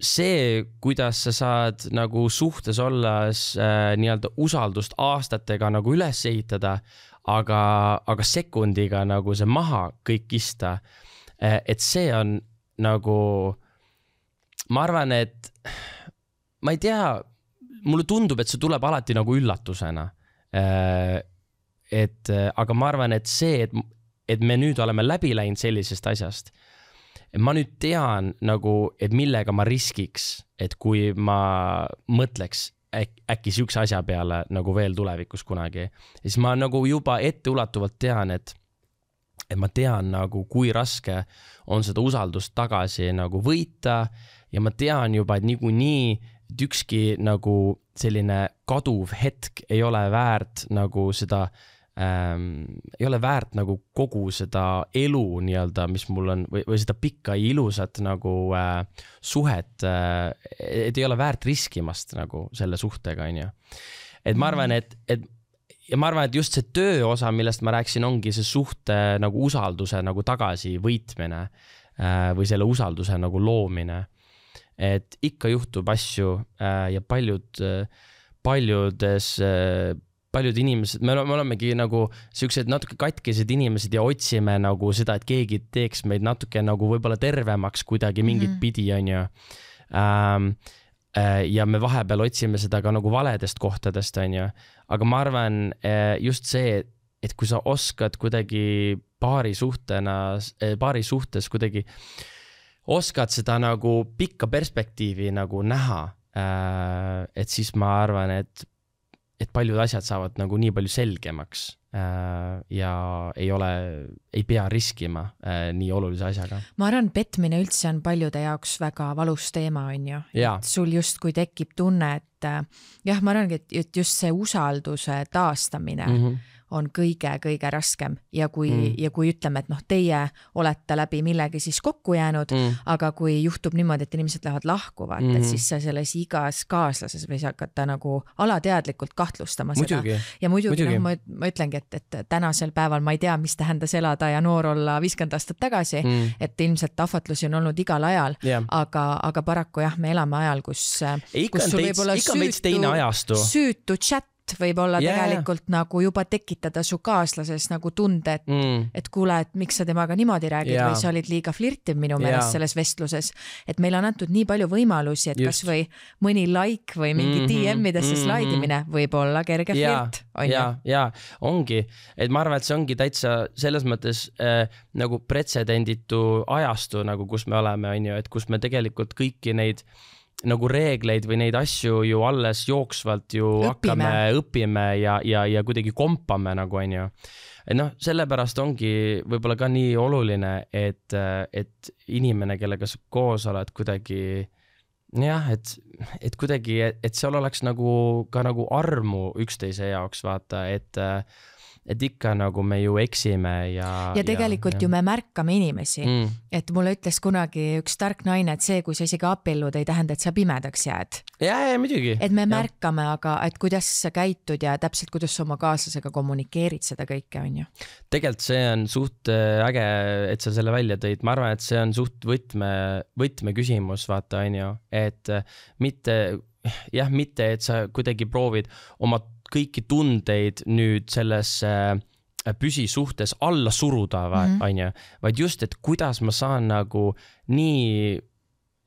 see, kuidas sa saad nagu suhtes olles äh, nii-öelda usaldust aastatega nagu üles ehitada, aga, aga sekundiga nagu see maha kõik kista, äh, et see on nagu, ma arvan, et ma ei tea, mulle tundub, et see tuleb alati nagu üllatusena. Et, aga ma arvan, et see, et, et me nüüd oleme läbi läinud sellisest asjast, ma nüüd tean nagu, et millega ma riskiks, et kui ma mõtleks äk, äkki siukse asja peale nagu veel tulevikus kunagi, siis ma nagu juba etteulatuvalt tean, et, et ma tean nagu, kui raske on seda usaldust tagasi nagu võita ja ma tean juba, et niikuinii et ükski nagu selline kaduv hetk ei ole väärt nagu seda ähm, ei ole väärt nagu kogu seda elu nii-öelda, mis mul on või, või seda pikka ja ilusat nagu äh, suhet, äh, et ei ole väärt riskimast nagu selle suhtega, on ju. Et ma arvan, et, et ja ma arvan, et just see töö osa, millest ma rääksin, ongi see suhte nagu usalduse nagu tagasi võitmine äh, või selle usalduse nagu loomine. Et ikka juhtub asju äh, ja paljud, äh, paljudes, äh, paljud inimesed, me, me olemegi nagu sellised natuke katkised inimesed ja otsime nagu seda, et keegi teeks meid natuke nagu võib-olla tervemaks kuidagi mingit mm-hmm. pidi, on ju. Ähm, äh, ja me vahepeal otsime seda ka nagu valedest kohtadest, on ju. Aga ma arvan äh, just see, et kui sa oskad kuidagi paari suhtena, paari suhtes kuidagi oskad seda nagu pikka perspektiivi nagu näha, et siis ma arvan, et, et paljud asjad saavad nagu nii palju selgemaks ja ei ole, ei pea riskima nii olulise asjaga. Ma arvan, petmine üldse on paljude jaoks väga valus teema, on ju. Et sul just kui tekib tunne, et jah, ma arvan, et just see usalduse taastamine mm-hmm. on kõige-kõige raskem ja kui, mm. ja kui ütleme, et noh, teie olete läbi millegi siis kokku jäänud, mm. aga kui juhtub niimoodi, et inimesed lähevad lahku, vaata, mm. et siis sa selles igas kaaslases või sa hakata nagu alateadlikult kahtlustama muidugi. seda. Ja muidugi, muidugi. No, ma, ma ütlengi, et, et tänasel päeval ma ei tea, mis tähendas elada ja noor olla viiskümmend aastat tagasi, mm. et ilmselt ahvatlusi on olnud igal ajal, yeah. aga, aga paraku jah, me elame ajal, kus, kus sul võib olla süütu, süütu chat võib olla yeah. tegelikult nagu juba tekitada su kaaslases nagu tunde, et, mm. et kuule, et miks sa temaga niimoodi räägid yeah. või sa olid liiga flirtiv minu meelest yeah. selles vestluses, et meil on antud nii palju võimalusi, et Just. kas või mõni like või mingi mm-hmm. D M-idesse mm-hmm. slaidimine võib olla kerge yeah. flirt. On ja, ja ongi, et ma arvan, et see ongi täitsa selles mõttes äh, nagu pretsedenditu ajastu, nagu kus me oleme, on ju, et kus me tegelikult kõiki neid nagu reegleid või neid asju ju alles jooksvalt ju õpime. hakkame, õpime ja, ja, ja kuidagi kompame nagu on ju. Et noh, sellepärast ongi võib-olla ka nii oluline, et, et inimene, kellega sa koos oled kuidagi jah, et, et kuidagi, et seal oleks nagu ka nagu armu üksteise jaoks vaata, et et ikka nagu me ju eksime ja... Ja tegelikult ja, ju me märkame inimesi, mm. et mulle ütles kunagi üks tark naine, et see, kui sa isegi abiellud, ei tähenda, et sa pimedaks jääd. Ja, ja, muidugi. Et me ja. märkame, aga et kuidas sa käitud ja täpselt kuidas sa oma kaaslasega kommunikeerid seda kõike, on ju. Tegelikult see on suht äge, et sa selle välja tõid. Ma arvan, et see on suht võtme, võtme küsimus, vaata, on ju, et mitte, jah, mitte, et sa kuidagi proovid oma kõiki tundeid nüüd selles püsisuhtes alla suruda, mm-hmm. on ju, vaid just, et kuidas ma saan nagu nii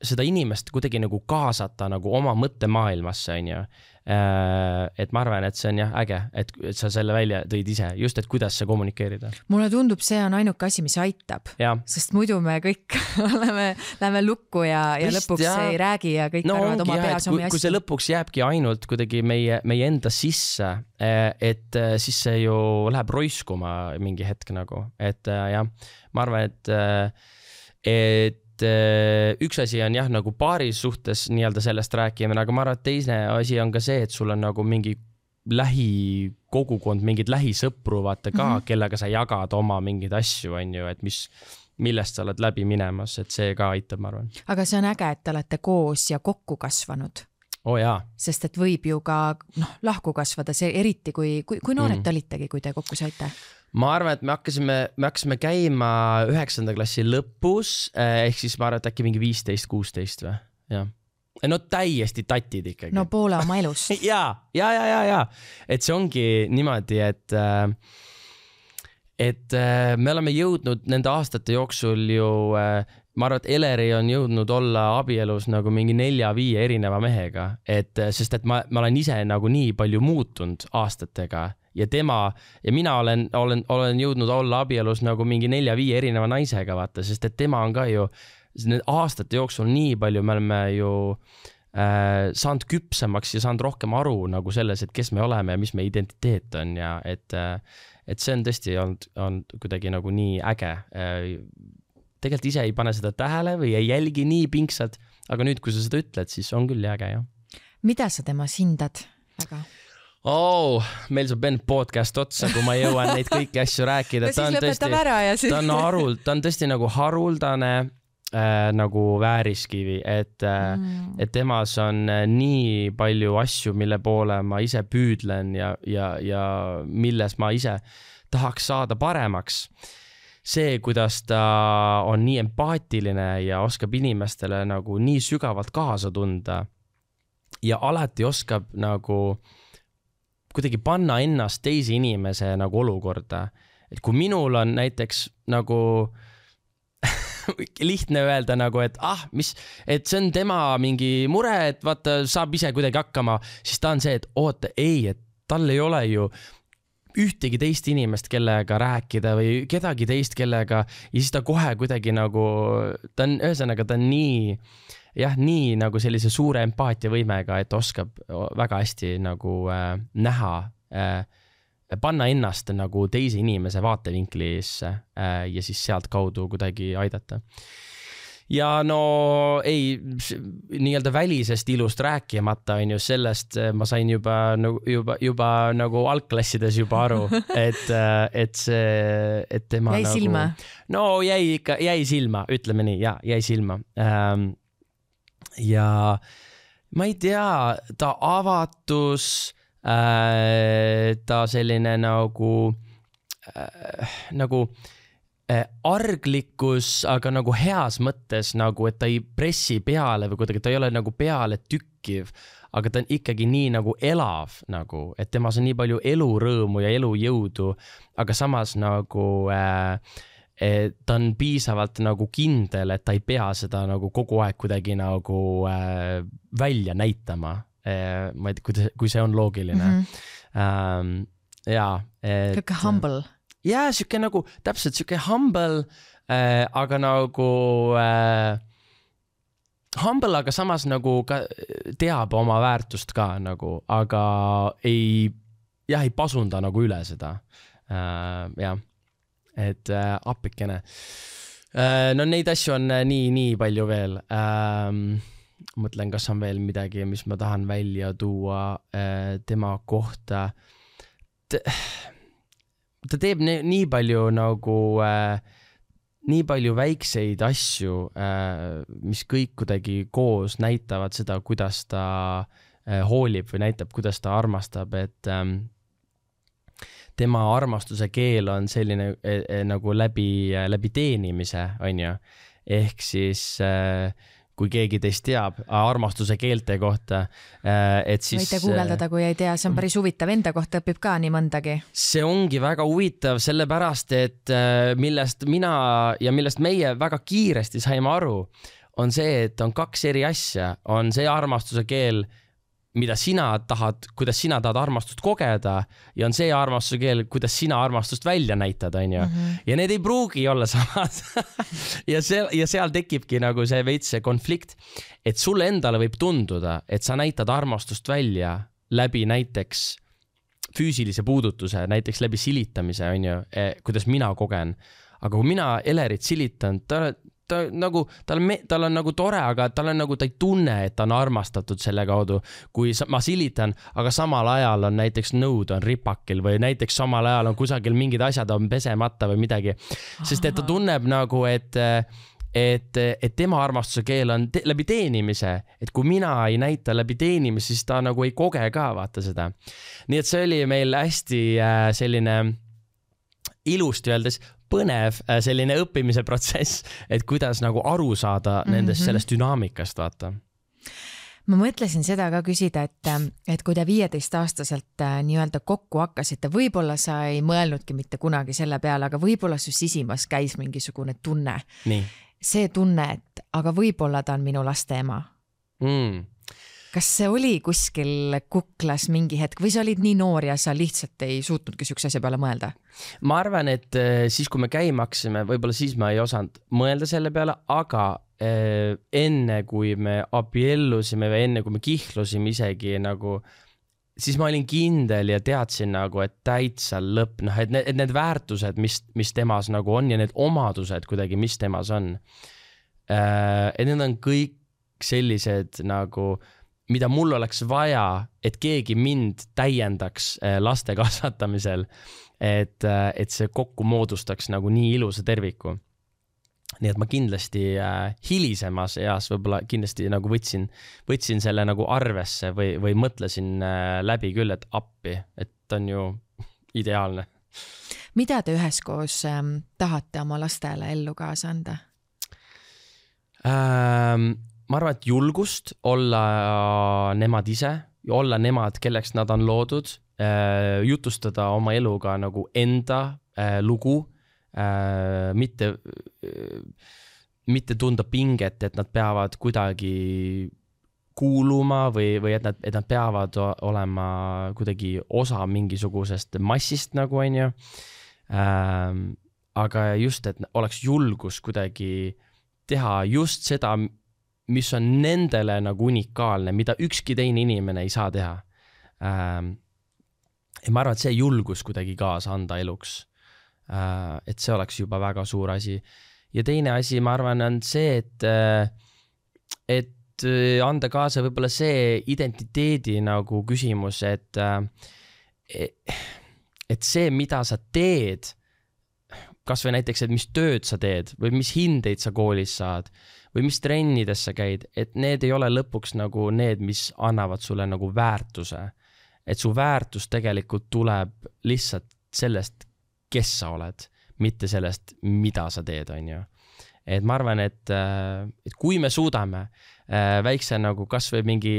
seda inimest kuidagi nagu kaasata nagu oma mõttemaailmasse, on ju. Et ma arvan, et see on jah äge, et, et sa selle välja tõid ise, just, et kuidas see kommunikeerida. Mulle tundub, see on ainuke asi, mis aitab, ja. Sest muidu me kõik oleme, läheme lukku ja, ja Vist, lõpuks ja. ei räägi ja kõik no, arvad oma peas omi asju. Kui see lõpuks jääbki ainult kuidagi meie, meie enda sisse, et siis see ju läheb roiskuma mingi hetk nagu, et jah, ma arvan, et, et üks asi on jah, nagu paaris suhtes nii-öelda sellest rääkimine, aga ma arvan, et teine asi on ka see, et sul on nagu mingi lähikogukond, mingid lähisõpru vaata ka, mm-hmm. kellega sa jagad oma mingeid asju, on ju, et mis, millest sa oled läbi minemas, et see ka aitab, ma arvan. Aga see on äge, et te olete koos ja kokku kasvanud. Oh jaa. Sest et võib ju ka noh, lahku kasvada, see eriti kui, kui, kui noored mm. olitegi, kui te kokku saite? Ma arvan, et me hakkasime, me hakkasime käima üheksanda klassi lõpus, ehk siis ma arvan, et äkki mingi viisteist kuusteist või? Ja. No täiesti tatid ikkagi. No poole oma elust. ja, ja, ja, ja, ja. Et see ongi niimoodi, et, et me oleme jõudnud nende aastate jooksul ju, ma arvan, et Eleri on jõudnud olla abielus nagu mingi nelja-viie erineva mehega, et sest et ma, ma olen ise nagu nii palju muutunud aastatega ja tema ja mina olen, olen, olen jõudnud olla abielus nagu mingi nelja-viie erineva naisega, vaata, sest et tema on ka ju need aastate jooksul nii palju, me oleme ju äh, saanud küpsemaks ja saanud rohkem aru nagu selles, et kes me oleme ja mis me identiteet on ja et, et see on tõesti olnud, olnud kuidagi nagu nii äge. Tegelikult ise ei pane seda tähele või ei jälgi nii pingsalt, aga nüüd, kui sa seda ütled, siis on küll äge, jah. Mida sa temas hindad väga? Oh, meil saab end podcast otsa, kui ma jõuan neid kõiki asju rääkida. No siis lõpetab ära ja siis... Ta on, haruld, ta on tõesti nagu haruldane äh, nagu vääriskivi, et, äh, mm. et temas on äh, nii palju asju, mille poole ma ise püüdlen ja, ja, ja milles ma ise tahaks saada paremaks. See, kuidas ta on nii empaatiline ja oskab inimestele nagu nii sügavalt kaasa tunda ja alati oskab nagu kuidagi panna ennast teisi inimese nagu olukorda. Et kui minul on näiteks nagu lihtne öelda nagu, et ah, mis, et see on tema mingi mure, et vaata, saab ise kuidagi hakkama, siis ta on see, et oota, ei, et tal ei ole ju ühtegi teist inimest, kellega rääkida või kedagi teist, kellega ja siis ta kohe kuidagi nagu, ta on, ühesõnaga, ta on nii jah, nii nagu sellise suure empaatia võimega, et oskab väga hästi nagu äh, näha, äh, panna ennast nagu teise inimese vaatevinklisse äh, ja siis sealt kaudu kuidagi aidata. ja no ei, nii-öelda välisest ilust rääkimata on ju sellest, ma sain juba, juba, juba nagu algklassides juba aru, et, et see, et tema jäi nagu... silma? No jäi ikka, jäi silma, ütleme nii, ja jäi silma. Ähm, ja ma ei tea, ta avatus, äh, ta selline nagu, äh, nagu arglikkus, aga nagu heas mõttes nagu, et ta ei pressi peale või kuidagi, ta ei ole nagu peale tükkiv, aga ta on ikkagi nii nagu elav nagu, et temas on nii palju elurõõmu ja elujõudu, aga samas nagu äh, ta on piisavalt nagu kindel, et ta ei pea seda nagu kogu aeg kuidagi nagu äh, välja näitama. Äh, ma ei tea, kui, kui see on loogiline. Mm-hmm. Ähm, jaa. Kõike humble. Ja, siuke nagu, täpselt siuke humble, äh, aga nagu äh, humble, aga samas nagu ka teab oma väärtust ka nagu, aga ei, jah, ei pasunda nagu üle seda. Äh, jah, et äh, appikene. Äh, no neid asju on nii, nii palju veel. Äh, mõtlen, kas on veel midagi, mis ma tahan välja tuua äh, tema kohta. T- ta teeb nii, nii palju nagu äh, nii palju väikseid asju, äh, mis kõik kuidagi koos näitavad seda, kuidas ta äh, hoolib või näitab, kuidas ta armastab, et ähm, tema armastuse keel on selline äh, nagu läbi, äh, läbi teenimise, on ju. Ehk siis äh, kui keegi teist teab armastuse keelte kohta, et siis... Võite guugeldada, kui ei tea, see on päris huvitav, enda kohta õpib ka nii mõndagi. See ongi väga huvitav, sellepärast, et millest mina ja millest meie väga kiiresti saime aru, on see, et on kaks eri asja. On see armastuse keel, mida sina tahad, kuidas sina tahad armastust kogeda, ja on see armastuse keel, kuidas sina armastust välja näitad, on ju. Mm-hmm. Ja need ei pruugi olla samad. ja, see, ja seal tekibki nagu see veits see konflikt, et sulle endale võib tunduda, et sa näitad armastust välja läbi näiteks füüsilise puudutuse, näiteks läbi silitamise, on ju, kuidas mina kogen. Aga kui mina Elerit silitan, ta ta nagu, tal, me, tal on nagu tore, aga tal on nagu, ta ei tunne, et ta on armastatud selle kaudu, kui ma silitan, aga samal ajal on näiteks nõud on ripakil või näiteks samal ajal on kusagil mingid asjad on pesemata või midagi. Sest et ta tunneb nagu, et, et, et tema armastuse keel on te, läbi teenimise, et kui mina ei näita läbi teenimise, siis ta nagu ei koge ka, vaata seda. Nii et see oli meil hästi äh, selline ilusti öeldes põnev selline õppimise protsess, et kuidas nagu aru saada nendest mm-hmm. sellest dünaamikast, vaata. Ma mõtlesin seda ka küsida, et, et kui te viieteist aastaselt nii-öelda kokku hakkasite, võib-olla sa ei mõelnudki mitte kunagi selle peale, aga võib-olla su sisimas käis mingisugune tunne. Nii. See tunne, et aga võib-olla ta on minu laste ema. Mm. Kas see oli kuskil kuklas mingi hetk või sa olid nii noor ja sa lihtsalt ei suutnudki sükse asja peale mõelda? Ma arvan, et siis kui me käima haksime, võib-olla siis ma ei osanud mõelda selle peale, aga eh, enne kui me abiellusime või enne kui me kihlusime isegi nagu, siis ma olin kindel ja teadsin nagu, et täitsa lõpp, noh, et need, et need väärtused, mis, mis temas nagu on ja need omadused kuidagi, mis temas on, eh, et need on kõik sellised nagu mida mul oleks vaja, et keegi mind täiendaks laste kasvatamisel, et, et see kokku moodustaks nagu nii ilusa terviku. Nii et ma kindlasti äh, hilisemas eas võib-olla kindlasti nagu võtsin, võtsin selle nagu arvesse või, või mõtlesin äh, läbi küll, et appi, et on ju ideaalne. Mida te üheskoos ähm, tahate oma lastele ellu kaasa anda? Ähm, ma arvan, et julgust olla nemad ise, olla nemad, kelleks nad on loodud, jutustada oma eluga nagu enda lugu, mitte, mitte tunda pinget, et nad peavad kuidagi kuuluma või, või et nad, et nad peavad olema kuidagi osa mingisugusest massist nagu on ju. Aga just, et oleks julgus kuidagi teha just seda, mis on nendele nagu unikaalne, mida ükski teine inimene ei saa teha. Ähm, ja ma arvan, et see julgus kuidagi kaasa anda eluks. Äh, et see oleks juba väga suur asi. ja teine asi, ma arvan, on see, et, et anda kaasa võib-olla see identiteedi nagu küsimus, et, et see, mida sa teed, kas või näiteks, et mis tööd sa teed või mis hindeid sa koolis saad või mis trennides sa käid, et need ei ole lõpuks nagu need, mis annavad sulle nagu väärtuse. Et su väärtus tegelikult tuleb lihtsalt sellest, kes sa oled, mitte sellest, mida sa teed, on ju. Et ma arvan, et, et kui me suudame väikse nagu kas või mingi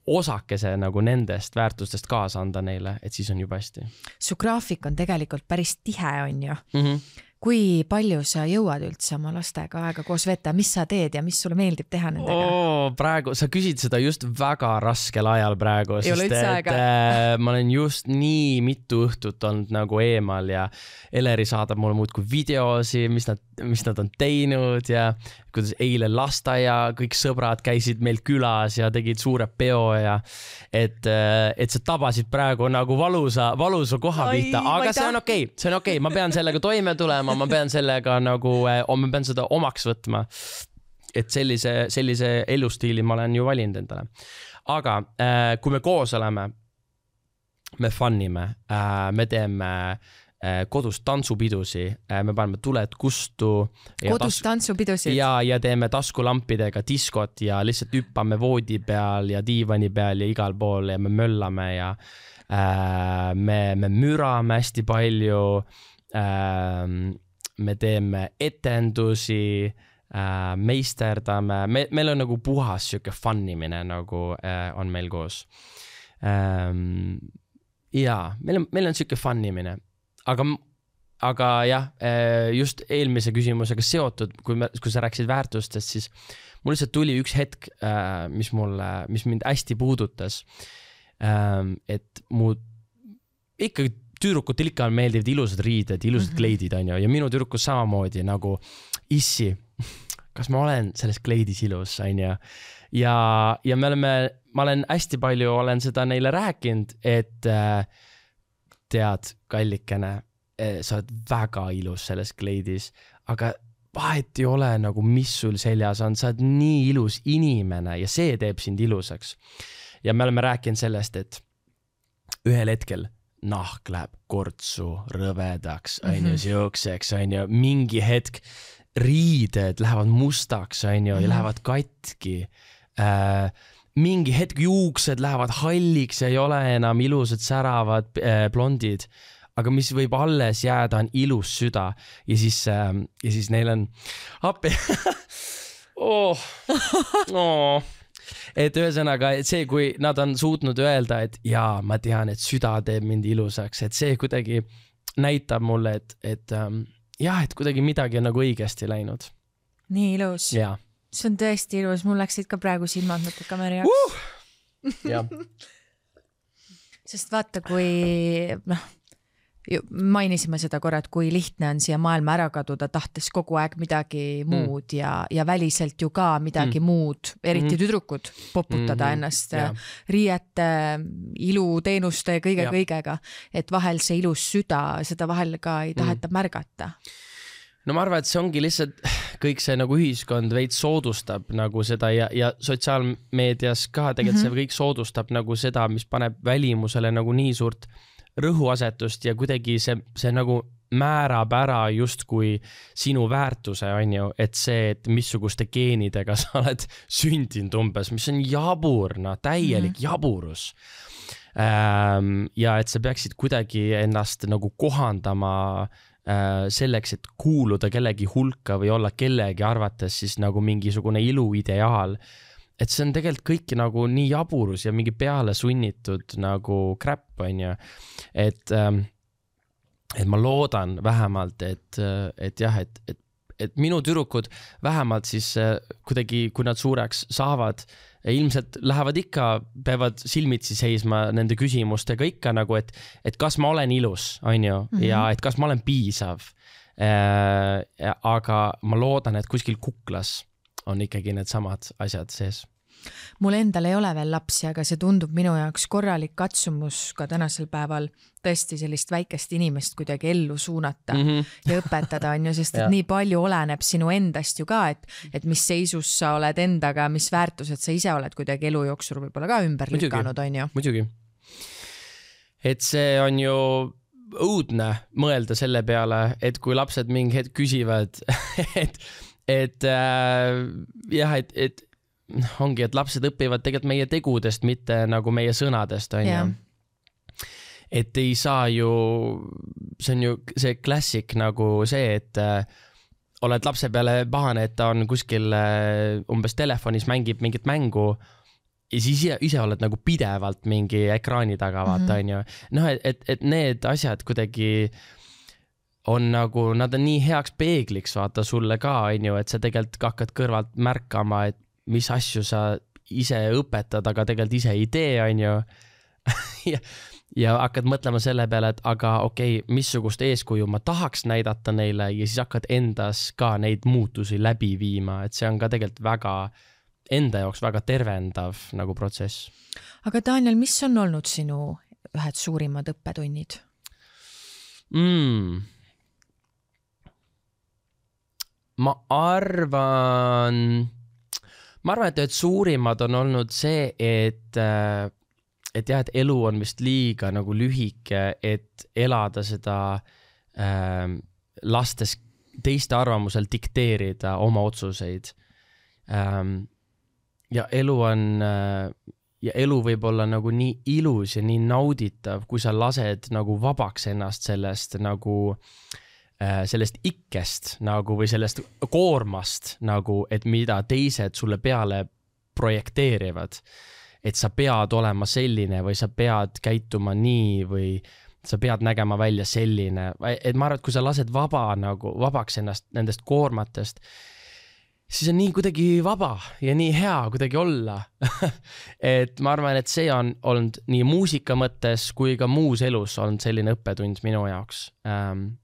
osakese nagu nendest väärtustest kaasa anda neile, et siis on juba hästi. Su graafik on tegelikult päris tihe, on ju. Mm-hmm. Kui palju sa jõuad üldse oma lastega aega koos veeta, mis sa teed ja mis sulle meeldib teha nendega? Oo, praegu, sa küsid seda just väga raskel ajal praegu, ei sest et äh, ma olen just nii mitu õhtut olnud nagu eemal ja Eleri saadab mulle muudkui videosi, mis nad, mis nad on teinud ja kuidas eile lastaja, kõik sõbrad käisid meil külas ja tegid suure peo ja et, et sa tabasid praegu nagu valusa, valusa koha pihta, aga see on okei, okay, see on okei okay. Ma pean sellega toime tulema, ma pean sellega nagu, ma pean seda omaks võtma, et sellise, sellise elustiili ma olen ju valinud endale. Aga kui me koos oleme, me fannime, me teeme kodus tantsupidusi, me paneme tuled kustu. Kodus tantsupidusid? Ja, ja teeme taskulampidega diskot ja lihtsalt hüppame voodi peal ja diivani peal ja igal pool ja me möllame ja äh, me, me mürame hästi palju, äh, me teeme etendusi, äh, meisterdame, me, meil on nagu puhas siuke fannimine nagu äh, on meil koos. Ähm, ja, meil on, meil on siuke fannimine. Aga, aga jah, just eelmise küsimusega seotud, kui, me, kui sa rääkisid väärtustest, siis mul lihtsalt tuli üks hetk, mis, mulle, mis mind hästi puudutas. Et mu ikkagi tüdrukutel ikka meeldivad ilusad riided, ilusad mm-hmm. kleidid on ju, ja minu tüdrukus samamoodi nagu issi, kas ma olen selles kleidis ilus, on ju. Ja, ja me oleme, ma olen hästi palju, olen seda neile rääkinud, et tead, kallikene, sa oled väga ilus selles kleidis, aga vahet ei ole nagu, mis sul seljas on, sa oled nii ilus inimene ja see teeb sind ilusaks. Ja me oleme rääkinud sellest, et ühel hetkel nahk läheb kortsu, rõvedaks, on ju, siukseks, on ju, mingi hetk riided lähevad mustaks, on ju, ja lähevad katki. Äh, mingi hetk juuksed lähevad halliks ja ei ole enam ilusad säravad äh, blondid, aga mis võib alles jääda, on ilus süda ja siis, äh, ja siis neil on appi. oh. oh. Et ühesõnaga, et see, kui nad on suutnud öelda, et jaa, ma tean, et süda teeb mind ilusaks, et see kuidagi näitab mulle, et, et ähm, jah, et kuidagi midagi on nagu õigesti läinud. Nii ilus. Jaa. See on tõesti ilus, mul läksid ka praegu silmad mõtted kaameri jaoks. Uh! jah. Sest vaata, kui noh, mainisime seda korra, et kui lihtne on siia maailma ära kaduda, tahtes kogu aeg midagi mm. muud ja, ja väliselt ju ka midagi mm. muud, eriti mm. tüdrukud poputada mm-hmm. ennast yeah. riiete, iluteenuste ja kõige, yeah. kõigega, et vahel see ilus süda, seda vahel ka ei taheta mm. märgata. No ma arvan, et see ongi lihtsalt kõik see nagu ühiskond veid soodustab nagu seda ja, ja sotsiaalmeedias ka tegelikult mm-hmm. see kõik soodustab nagu seda, mis paneb välimusele nagu nii suurt rõhuasetust ja kuidagi see, see nagu määrab ära justkui sinu väärtuse, on ju, et see, et missuguste geenidega sa oled sündinud umbes, mis on jabur, no täielik mm-hmm. jaburus. Ähm, ja et sa peaksid kuidagi ennast nagu kohandama äh, selleks, et kuuluda kellegi hulka või olla kellegi arvates siis nagu mingisugune iluideaal. Et see on tegelikult kõik nagu nii jaburus ja mingi peale sunnitud nagu crap, on ju. Et, et ma loodan vähemalt, et, et jah, et, et, et minu tüdrukud vähemalt siis kuidagi, kui nad suureks saavad, ilmselt lähevad ikka, peavad silmitsi seisma nende küsimustega ikka nagu, et, et kas ma olen ilus, on ju, mm-hmm. ja et kas ma olen piisav. Aga ma loodan, et kuskil kuklas on ikkagi need samad asjad sees. Mul endal ei ole veel lapsi, aga see tundub minu jaoks korralik katsumus ka tänasel päeval tõesti sellist väikest inimest kuidagi ellu suunata mm -hmm. ja õpetada on ju, sest et nii palju oleneb sinu endast ju ka, et, et mis seisus sa oled endaga, mis väärtused sa ise oled kuidagi elu jooksul võib-olla ka ümber muidugi, lükanud, on ju. Muidugi. Et see on ju õudne mõelda selle peale, et kui lapsed mingi hetk küsivad, et, et äh, jah, et, et ongi, et lapsed õpivad tegelikult meie tegudest, mitte nagu meie sõnadest, on ju. Et ei saa ju, see on ju see klassik nagu see, et äh, oled lapse peale pahane, et ta on kuskil äh, umbes telefonis mängib mingit mängu ja siis ise, ise oled nagu pidevalt mingi ekraani taga, vaata, mm -hmm. on ju. Noh, et, et, et need asjad kuidagi on nagu, nad on nii heaks peegliks, vaata, sulle ka, on ju, et sa tegelikult hakkad kõrvalt märkama, et mis asju sa ise õpetad, aga tegelikult ise ei tee, on ju. ja, ja hakkad mõtlema selle peale, et aga okei, okay, missugust eeskuju ma tahaks näidata neile ja siis hakkad endas ka neid muutusi läbi viima, et see on ka tegelikult väga, enda jaoks väga tervendav nagu protsess. Aga Daniel, mis on olnud sinu ühed suurimad õppetunnid? Mm. Ma arvan... Ma arvan, et, et suurimad on olnud see, et, et jah, et elu on vist liiga nagu lühike, et elada seda äh, lastes teiste arvamusel dikteerida oma otsuseid. Ähm, ja elu on, ja elu võib olla nagu nii ilus ja nii nauditav, kui sa lased nagu vabaks ennast sellest nagu sellest ikkest nagu või sellest koormast nagu, et mida teised sulle peale projekteerivad, et sa pead olema selline või sa pead käituma nii või sa pead nägema välja selline, et ma arvan, et kui sa lased vaba nagu vabaks ennast nendest koormatest, siis on nii kuidagi vaba ja nii hea kuidagi olla. Et ma arvan, et see on olnud nii muusika mõttes kui ka muus elus olnud selline õppetund minu jaoks. Ähm,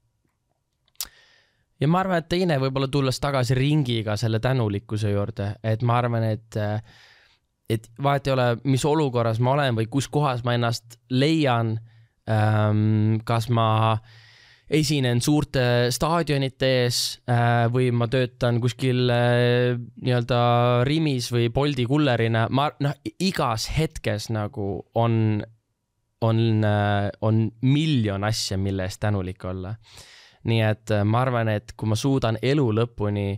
Ja ma arvan, et teine võib-olla tulles tagasi ringiga selle tänulikkuse juurde, et ma arvan, et, et vahet ei ole, mis olukorras ma olen või kus kohas ma ennast leian, kas ma esinen suurte staadionite ees või ma töötan kuskil nii-öelda Rimis või Boldi kullerina, ma, noh, igas hetkes nagu on, on, on miljon asja, mille eest tänulik olla. Nii et ma arvan, et kui ma suudan elu lõpuni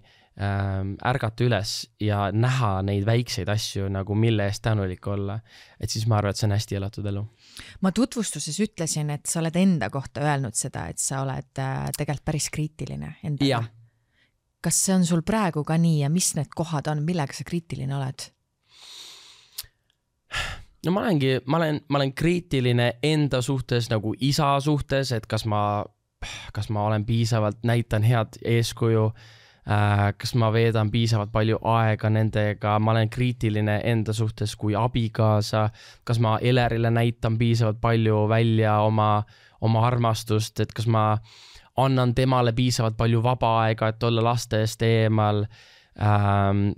ähm, ärgata üles ja näha neid väikseid asju, nagu mille eest tänulik olla, et siis ma arvan, et see on hästi elatud elu. Ma tutvustuses ütlesin, et sa oled enda kohta öelnud seda, et sa oled äh, tegelikult päris kriitiline endaga. Ja. Kas see on sul praegu ka nii ja mis need kohad on, millega sa kriitiline oled? No ma olengi, ma olen, ma olen kriitiline enda suhtes nagu isa suhtes, et kas ma kas ma olen piisavalt, näitan head eeskuju, kas ma veedan piisavalt palju aega nendega, ma olen kriitiline enda suhtes kui abikaasa, kas ma Elerile näitan piisavalt palju välja oma, oma armastust, et kas ma annan temale piisavalt palju vaba aega, et olla laste eest eemal. Ähm,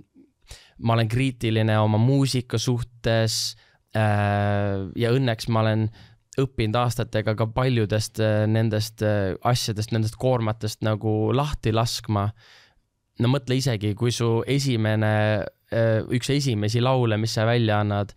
ma olen kriitiline oma muusika suhtes äh, ja õnneks ma olen õppinud aastatega ka paljudest nendest asjadest, nendest koormatest nagu lahti laskma. No mõtle isegi, kui su esimene, üks esimesi laule, mis sa välja annad,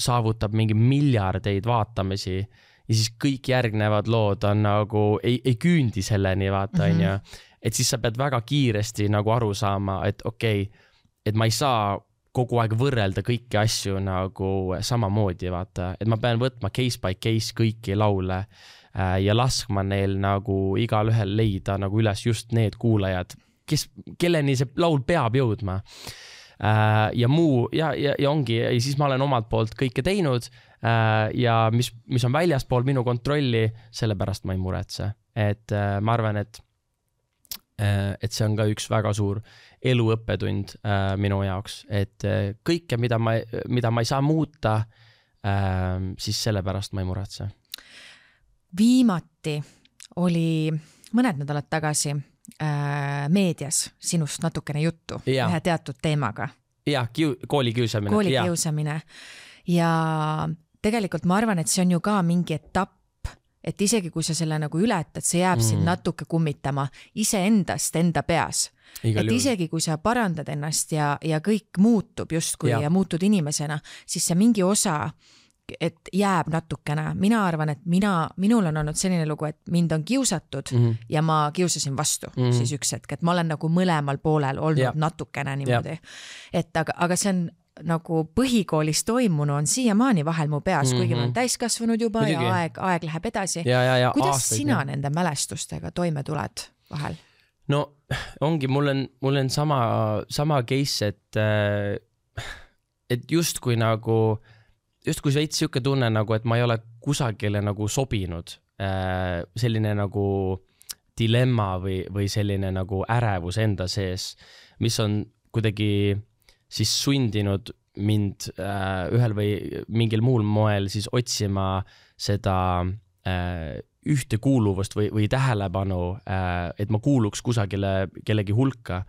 saavutab mingi miljardeid vaatamisi ja siis kõik järgnevad lood on nagu, ei, ei küündi selleni, vaata, mm-hmm. on ju. Et siis sa pead väga kiiresti nagu aru saama, et okei, okay, et ma ei saa kogu aeg võrrelda kõiki asju nagu samamoodi, vaata, et ma pean võtma case by case kõiki laule ja laskma neil nagu igal ühel leida nagu üles just need kuulajad, kes, kelleni see laul peab jõudma. Ja muu, ja, ja, ja ongi, ja siis ma olen omalt poolt kõike teinud ja mis, mis on väljaspool minu kontrolli, sellepärast ma ei muretse. Et ma arvan, et, et see on ka üks väga suur eluõppetund äh, minu jaoks, et äh, kõike, mida ma, mida ma ei saa muuta, äh, siis sellepärast ma ei muretse. Viimati oli mõned nädalad tagasi äh, meedias sinust natukene juttu ja. Ühe teatud teemaga. jah, kiu, kooli kiusamine. Kooli ja. kiusamine. Ja tegelikult ma arvan, et see on ju ka mingi etapp, et isegi kui sa selle nagu ületad, see jääb mm. sind natuke kummitama iseendast enda peas. Igal et juhul. Isegi kui sa parandad ennast ja, ja kõik muutub justkui ja. ja muutud inimesena, siis see mingi osa, et jääb natukene. Mina arvan, et mina, minul on olnud selline lugu, et mind on kiusatud mm -hmm. ja ma kiusasin vastu mm -hmm. siis üks hetk, et ma olen nagu mõlemal poolel olnud ja. natukene niimoodi. Et aga, aga see on nagu põhikoolis toimunu on siiamaani vahel mu peas, mm-hmm. kuigi ma olen täiskasvanud juba Midagi. ja aeg, aeg läheb edasi. Ja, ja, ja, kuidas aastaid, sina ja. nende mälestustega toime tuled vahel? No ongi, mul on, mul on sama, sama case, et, et just kui nagu, just kui veits siuke tunne nagu, et ma ei ole kusagile nagu sobinud, selline nagu dilemma või, või selline nagu ärevus enda sees, mis on kuidagi siis sundinud mind äh, ühel või mingil muul moel siis otsima seda äh, ühtekuuluvust või, või tähelepanu, äh, et ma kuuluks kusagile kellegi hulka.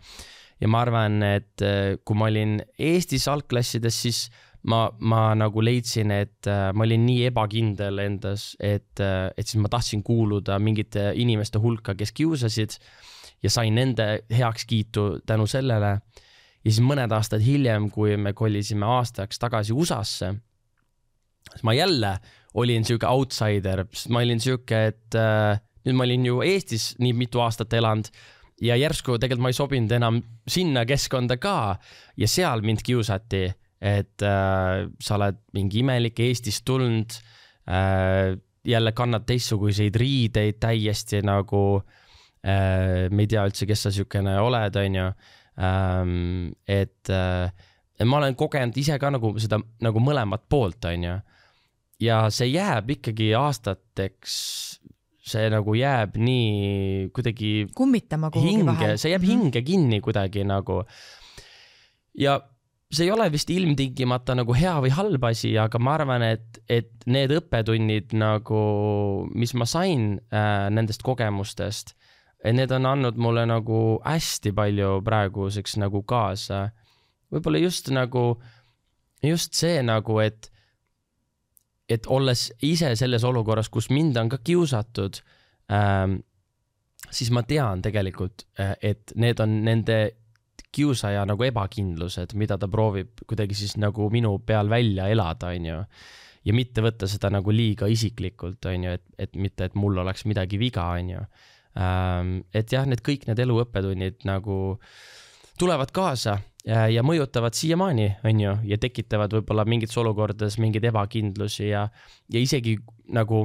Ja ma arvan, et äh, kui ma olin Eestis algklassides, siis ma, ma nagu leidsin, et äh, ma olin nii ebakindel endas, et, äh, et siis ma tahtsin kuuluda mingite inimeste hulka, kes kiusasid ja sain nende heakskiitu tänu sellele. Ja siis mõned aastad hiljem, kui me kolisime aastaks tagasi U S A-sse, siis ma jälle olin siuke outsider, ma olin siuke, et äh, nüüd ma olin ju Eestis nii mitu aastat elanud ja järsku tegelikult ma ei sobinud enam sinna keskkonda ka ja seal mind kiusati, et äh, sa oled mingi imelik Eestist tulnud, äh, jälle kannad teistsuguseid riideid täiesti nagu, äh, me ei tea üldse, kes sa siukene oled, on ju. Um, et, uh, et ma olen kogenud ise ka nagu seda nagu mõlemat poolt, on ju. Ja see jääb ikkagi aastateks, see nagu jääb nii kuidagi kummitama kuhugi hinge, vahel. See jääb hinge kinni kuidagi nagu. Ja see ei ole vist ilmtingimata nagu hea või halb asi, aga ma arvan, et, et need õppetunnid nagu, mis ma sain äh, nendest kogemustest, need on andnud mulle nagu hästi palju praeguseks nagu kaasa. Võib-olla just nagu, just see nagu, et, et olles ise selles olukorras, kus mind on ka kiusatud, ähm, siis ma tean tegelikult, et need on nende kiusaja nagu ebakindlused, mida ta proovib kuidagi siis nagu minu peal välja elada, on ju. Ja mitte võtta seda nagu liiga isiklikult, on ju, et, et mitte, et mul oleks midagi viga, on ju. Et jah, need kõik need eluõppetunnid nagu tulevad kaasa ja, ja mõjutavad siiamaani, on ju, ja tekitavad võib-olla mingites olukordades mingid ebakindlusi ja, ja isegi nagu,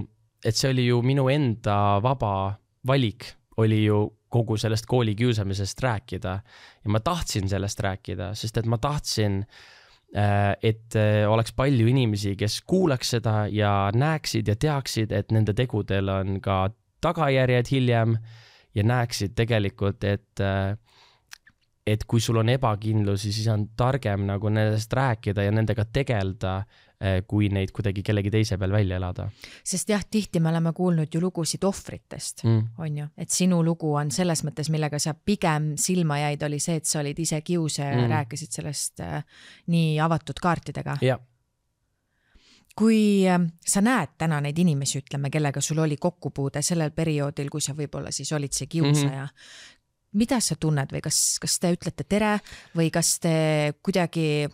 et see oli ju minu enda vaba valik, oli ju kogu sellest kooli kiusamisest rääkida ja ma tahtsin sellest rääkida, sest et ma tahtsin, et oleks palju inimesi, kes kuulaks seda ja näeksid ja teaksid, et nende tegudel on ka tagajärjed hiljem ja näeksid tegelikult, et, et kui sul on ebakindlusi, siis on targem nagu nendest rääkida ja nendega tegelda, kui neid kuidagi kellegi teise peal välja elada. Sest jah, tihti me oleme kuulnud ju lugusid ohvritest, mm. on ju, et sinu lugu on selles mõttes, millega sa pigem silma jäid, oli see, et sa olid ise kiuse ja mm. rääkisid sellest äh, nii avatud kaartidega. Jah. Kui sa näed täna neid inimesi, ütleme, kellega sul oli kokkupuude sellel perioodil, kui sa võib-olla siis olid see kiusaja, mm-hmm. mida sa tunned või kas, kas te ütlete tere või kas te kuidagi,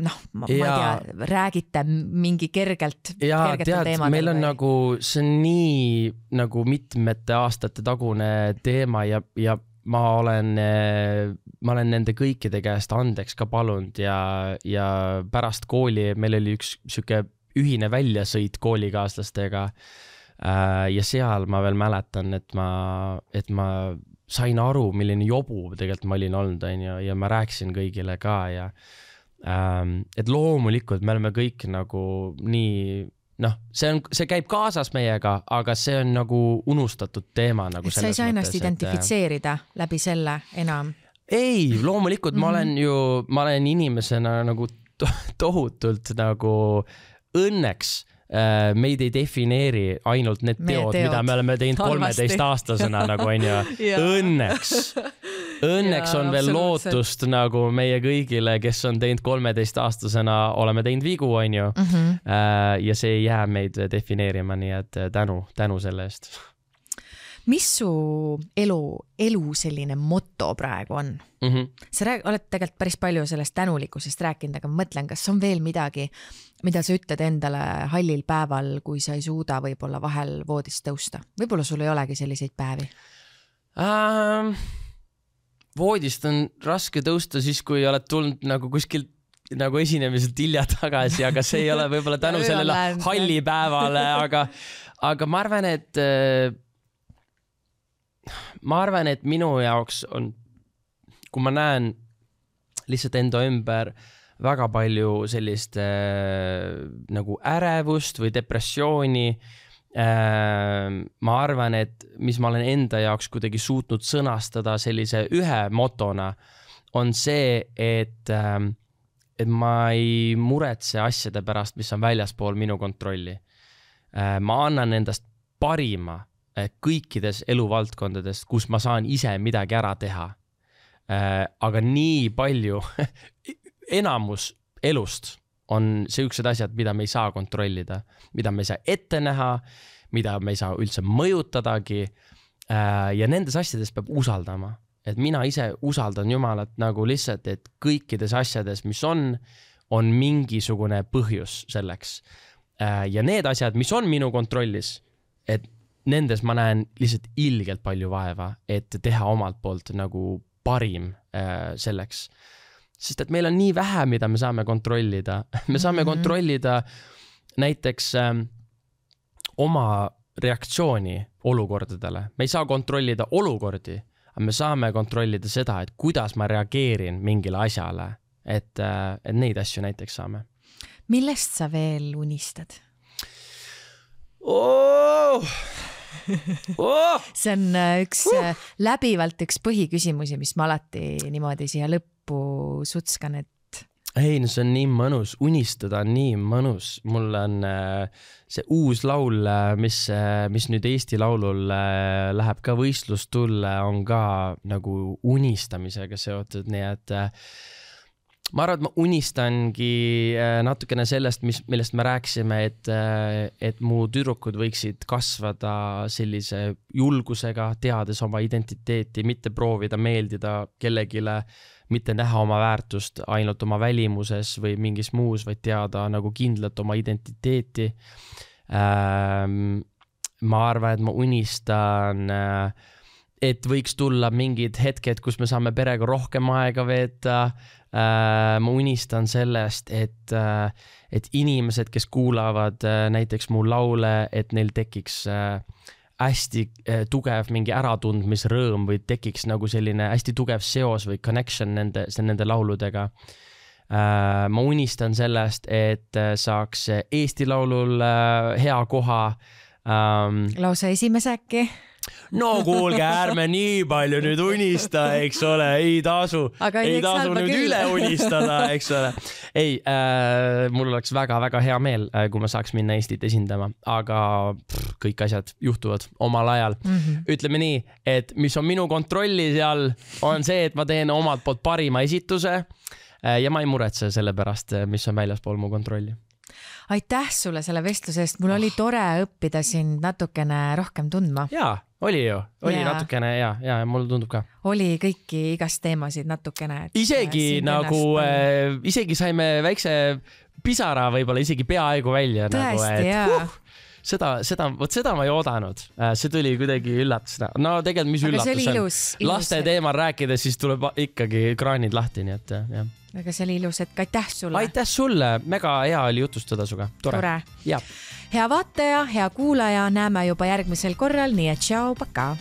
noh, ma, ma ei tea, räägite mingi kergelt, ja, kergetel tead, teemadel? Meil on või? Nagu, see on nii nagu mitmete aastate tagune teema ja, ja ma olen, ma olen nende kõikide käest andeks ka palunud ja, ja pärast kooli meil oli üks siuke ühine väljasõit koolikaaslastega ja seal ma veel mäletan, et ma, et ma sain aru, milline jobu tegelikult ma olin olnud, ja, ja ma rääkisin kõigile ka ja et loomulikult me oleme kõik nagu nii, noh, see on, see käib kaasas meiega, aga see on nagu unustatud teema nagu et sa ei saa ennast identifitseerida et... läbi selle enam? Ei, loomulikult mm-hmm. ma olen ju, ma olen inimesena nagu to- tohutult nagu õnneks äh, meid ei defineeri ainult need teod, teod, mida me oleme teinud kolmeteist aastasena nagu on ju, õnneks õnneks on veel lootust nagu meie kõigile, kes on teinud kolmeteist aastasena, oleme teinud vigu, on ju. Mm -hmm. Ja see ei jää meid defineerima, nii et tänu, tänu selle eest. Mis su elu, elu selline moto praegu on? Mm -hmm. Sa rääg, oled tegelikult päris palju sellest tänulikkusest rääkinud, aga ma mõtlen, kas on veel midagi, mida sa ütled endale hallil päeval, kui sa ei suuda võib-olla vahel voodist tõusta? Võib-olla sul ei olegi selliseid päevi? Ähm, voodist on raske tõusta siis, kui oled tulnud nagu kuskilt nagu esinemiselt hilja tagasi, aga see ei ole võib-olla tänu sellele halli päevale, aga, aga ma arvan, et ma arvan, et minu jaoks on, kui ma näen lihtsalt enda ümber väga palju sellist äh, nagu ärevust või depressiooni, äh, ma arvan, et mis ma olen enda jaoks kuidagi suutnud sõnastada sellise ühe motona, on see, et, äh, et ma ei muretse asjade pärast, mis on väljaspool minu kontrolli. Äh, ma annan endast parima kõikides eluvaldkondades, kus ma saan ise midagi ära teha. Äh, aga nii palju, enamus elust on sellised asjad, mida me ei saa kontrollida, mida me ei saa ette näha, mida me ei saa üldse mõjutadagi. Äh, ja nendes asjades peab usaldama. Et mina ise usaldan Jumalat nagu lihtsalt, et kõikides asjades, mis on, on mingisugune põhjus selleks. Äh, ja need asjad, mis on minu kontrollis, et nendes ma näen lihtsalt ilgelt palju vaeva, et teha omalt poolt nagu parim äh, selleks. Sest et meil on nii vähe, mida me saame kontrollida. Me saame mm-hmm. kontrollida näiteks äh, oma reaktsiooni olukordadele. Me ei saa kontrollida olukordi, aga me saame kontrollida seda, et kuidas ma reageerin mingile asjale. Et, äh, et neid asju näiteks saame. Millest sa veel unistad? Oh! Oh! See on üks uh! läbivalt üks põhiküsimusi, mis ma alati niimoodi siia lõppu sutskan, et ei, no see on nii mõnus, unistada on nii mõnus. Mul on uh, see uus laul, mis, uh, mis nüüd Eesti Laulul uh, läheb ka võistlustulle, on ka nagu unistamisega seotud, nii et uh, ma arvan, et ma unistangi natukene sellest, mis, millest me rääksime, et, et mu tüdrukud võiksid kasvada sellise julgusega, teades oma identiteeti, mitte proovida meeldida kellegile, mitte näha oma väärtust ainult oma välimuses või mingis muus, vaid teada nagu kindlalt oma identiteeti. Ma arvan, et ma unistan et võiks tulla mingid hetked, kus me saame perega rohkem aega veeta. Äh, ma unistan sellest, et, äh, et inimesed, kes kuulavad äh, näiteks mu laule, et neil tekiks äh, hästi äh, tugev mingi äratundmisrõõm või tekiks nagu selline hästi tugev seos või connection nende, nende lauludega. Äh, ma unistan sellest, et äh, saaks Eesti Laulul äh, hea koha. Ähm, Lausa esimese äkki? No kuulge, ärme nii palju nüüd unista, eks ole, ei tasu, ei tasu nüüd küll. Üle unistada, eks ole. Ei, äh, mul oleks väga-väga hea meel, äh, kui ma saaks minna Eestit esindama, aga pff, kõik asjad juhtuvad omal ajal. Mm-hmm. Ütleme nii, et mis on minu kontrolli seal, on see, et ma teen omalt poolt parima esituse äh, ja ma ei muretse selle pärast, mis on väljaspool mu kontrolli. Aitäh sulle selle vestluse eest, mul oli tore õppida sind natukene rohkem tundma. Jaa, oli ju, oli ja. natukene ja, ja mul tundub ka. Oli kõiki igast teemasid natukene. Isegi nagu, äh, isegi saime väikse pisara võib-olla isegi peaaegu välja. Tõesti, nagu, et, jaa. Uh, seda, seda, võt seda ma ei oodanud. See tuli kuidagi üllatusena. No tegelikult mis aga üllatus on? Ilus, ilus. Laste teemal rääkides, siis tuleb ikkagi kraanid lahti, nii et jah. Aga see oli ilus, et aitäh sulle. Aitäh sulle, mega hea oli jutustada suga. Tore. Tore. Ja. Hea vaataja, hea kuulaja, näeme juba järgmisel korral, nii et tšau, paka.